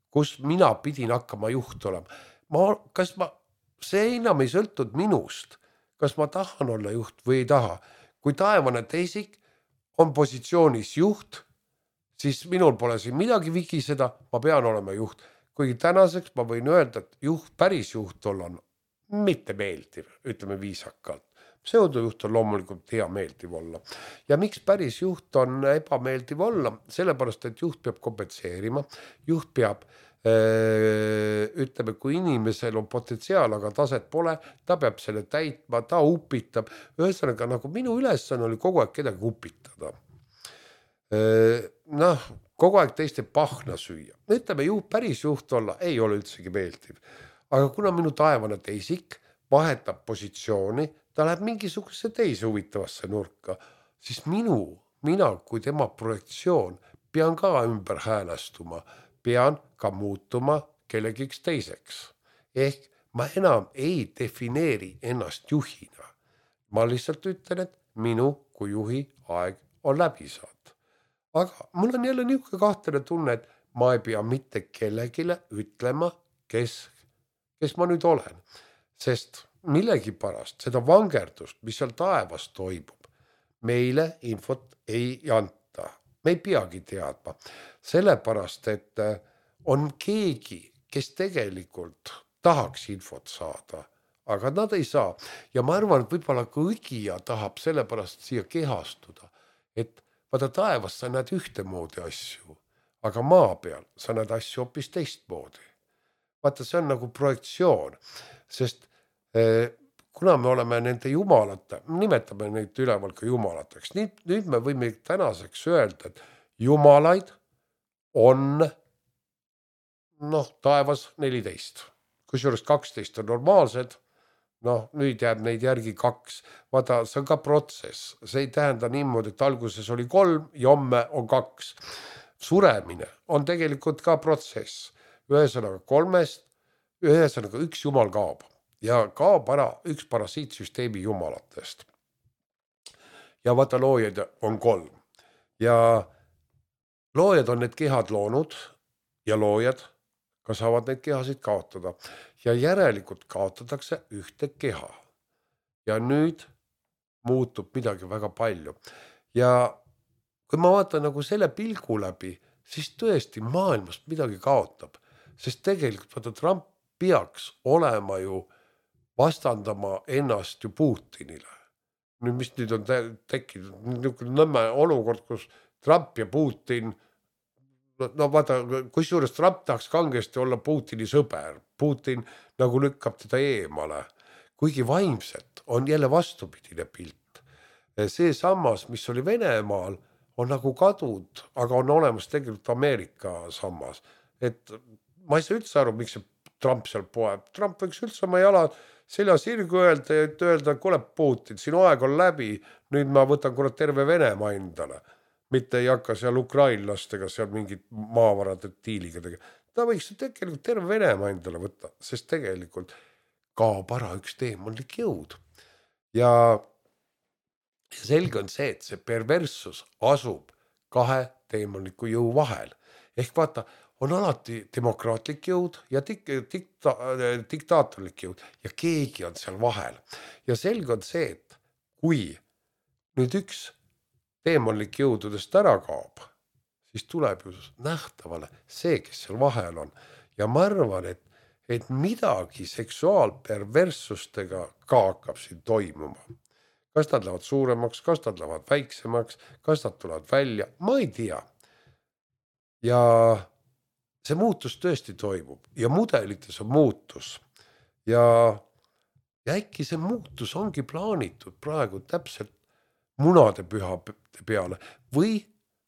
kus mina pidin hakkama juht olema. See enam ei sõltud minust, kas ma tahan olla juht või ei taha. Kui taevane teisik on positsioonis juht, siis minul pole siin midagi vigiseda, ma pean olema juht. Kuigi tänaseks ma võin öelda, et päris juht olla on mitte meeldiv, ütleme viisakalt. Pseudojuht on loomulikult hea meeldiv olla. Ja miks päris juht on ebameeldiv olla? Sellepärast, et juht peab kompenseerima. Juht peab, ütleme, kui inimesel on potentsiaal, aga taset pole, ta peab selle täitma, ta upitab. Ühesõnaga, nagu minu ülesanne oli kogu aeg kedagi upitada. Kogu aeg teiste pahna süüa. Ütleme, päris juht olla ei ole üldsegi meeldiv. Aga kuna minu taevane teisik vahetab positsiooni, ta läheb mingisuguse teise huvitavasse nurka, siis mina kui tema projektsioon pean ka ümber häälestuma, pean ka muutuma kellegiks teiseks. Ehk ma enam ei defineeri ennast juhina. Ma lihtsalt ütlen, et minu kui juhi aeg on läbi saanud. Aga mul on jälle niisugune kahtlane tunne, et ma ei pea mitte kellegile ütlema, kes ma nüüd olen. Sest millegipärast seda vangerdust, mis seal taevas toimub, meile infot ei anta. Me ei peagi teadma. Sellepärast, et on keegi, kes tegelikult tahaks infot saada, aga nad ei saa. Ja ma arvan, et võib-olla ka õgija tahab sellepärast siia kehastuda, et vaata, taevas sa näed ühtemoodi asju, aga maa peal sa näed asju hoopis teistmoodi. Vaata, see on nagu projektsioon, sest kuna me oleme nende jumalate, nimetame neid üleval ka jumalateks, nüüd me võime tänaseks öelda, et jumalaid on taevas 14, kusjuures 12 on normaalsed, noh, nüüd jääb neid järgi 2. Vaata, see on ka protsess. See ei tähenda niimoodi, et alguses oli 3 ja homme on 2. Suremine on tegelikult ka protsess. Ühesõnaga 3-st, ühesõnaga üks jumal kaob ja kaob ära üks parasiitsüsteemi jumalatest. Ja vaata, loojad on 3 ja loojad on need kehad loonud ja loojad ka saavad neid kehasid kaotada ja järelikult kaotatakse ühte keha. Ja nüüd muutub midagi väga palju. Ja kui ma vaatan nagu selle pilgu läbi, siis tõesti maailmast midagi kaotab, sest tegelikult vaata, Trump peaks olema ju vastandama ennast ju Putinile. Nüüd, mis nüüd on tekkinud niisugune nõmme olukord, kus Trump ja Putin, no vaata, kusjuures Trump tahaks kangesti olla Putini sõber. Putin nagu lükkab teda eemale. Kuigi vaimselt on jälle vastupidine pilt. See sammas, mis oli Venemaal, on nagu kadud, aga on olemas tegelikult Ameerika sammas. Et ma ei saa üldse aru, miks see Trump seal poeb. Trump võiks üldse oma jala selja sirgu öelda, et öelda, kuule Putin, sinu aeg on läbi, nüüd ma võtan kurat terve Venemaa endale. Mitte ei hakka seal ukrainlastega seal mingit maavarade diiliga tegema. Ta võiks tegelikult terve Venemaa endale võtta, sest tegelikult kaob ära üks teemonlik jõud. Ja selge on see, et see perverssus asub 2 teemonliku jõu vahel. Ehk vaata, on alati demokraatlik jõud ja diktaatorlik jõud ja keegi on seal vahel. Ja selge on see, et kui nüüd üks teemonlik jõududest ära kaob, siis tuleb ju nähtavale see, kes seal vahel on. Ja ma arvan, et midagi seksuaalperverssustega ka hakkab siin toimuma. Kas nad lähevad suuremaks, kas nad lähevad väiksemaks, kas nad tulevad välja, ma ei tea. Ja see muutus tõesti toimub ja mudelites on muutus. Ja äkki see muutus ongi plaanitud praegu täpselt munade püha peale või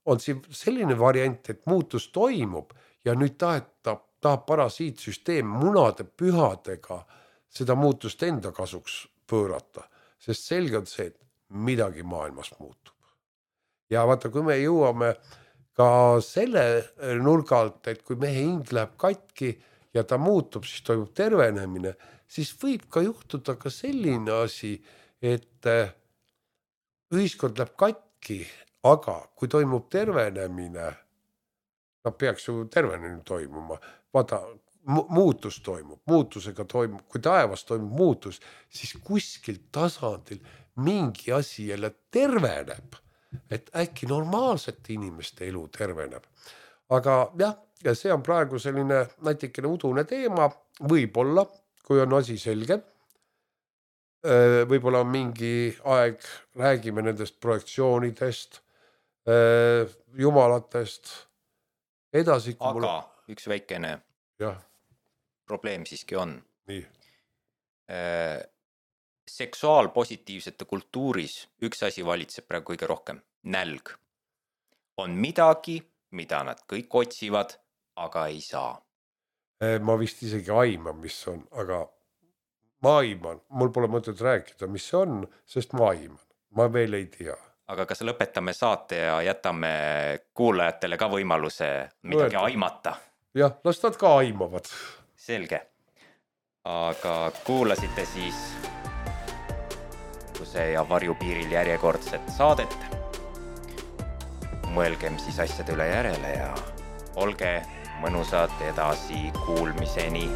on siin selline variant, et muutus toimub ja nüüd tahab parasiitsüsteem munade pühadega seda muutust enda kasuks pöörata, sest selge on see, et midagi maailmas muutub. Ja vaata, kui me jõuame ka selle nurgalt, et kui mehe hing läheb katki ja ta muutub, siis toimub tervenemine, siis võib ka juhtuda ka selline asi, et ühiskond läheb katki, aga kui toimub tervenemine, peaks ju tervenemine toimuma. Vaata, muutus toimub, muutusega toimub, kui taevas toimub muutus, siis kuskil tasandil mingi asi jälle terveneb, et äkki normaalsete inimeste elu terveneb. Aga jah, ja see on praegu selline natikene udune teema, võib-olla, kui on asi selge. Võib-olla mingi aeg räägime nendest projektsioonidest, jumalatest, edasi. Aga üks väikene jah. Probleem siiski on. Nii. Seksuaalpositiivsete kultuuris üks asi valitseb praegu kõige rohkem. Nälg. On midagi, mida nad kõik otsivad, aga ei saa. Ma vist isegi aiman, mis on, aga ma aiman. Mul pole mõtet rääkida, mis see on, sest ma aiman. Ma veel ei tea. Aga kas lõpetame saate ja jätame kuulajatele ka võimaluse midagi aimata? Jah, las nad ka aimavad. Selge. Aga kuulasite siis Kuse ja Varjupiiril järjekordset saadet. Mõelgem siis asjade üle järele ja olge mõnusad edasi kuulmiseni.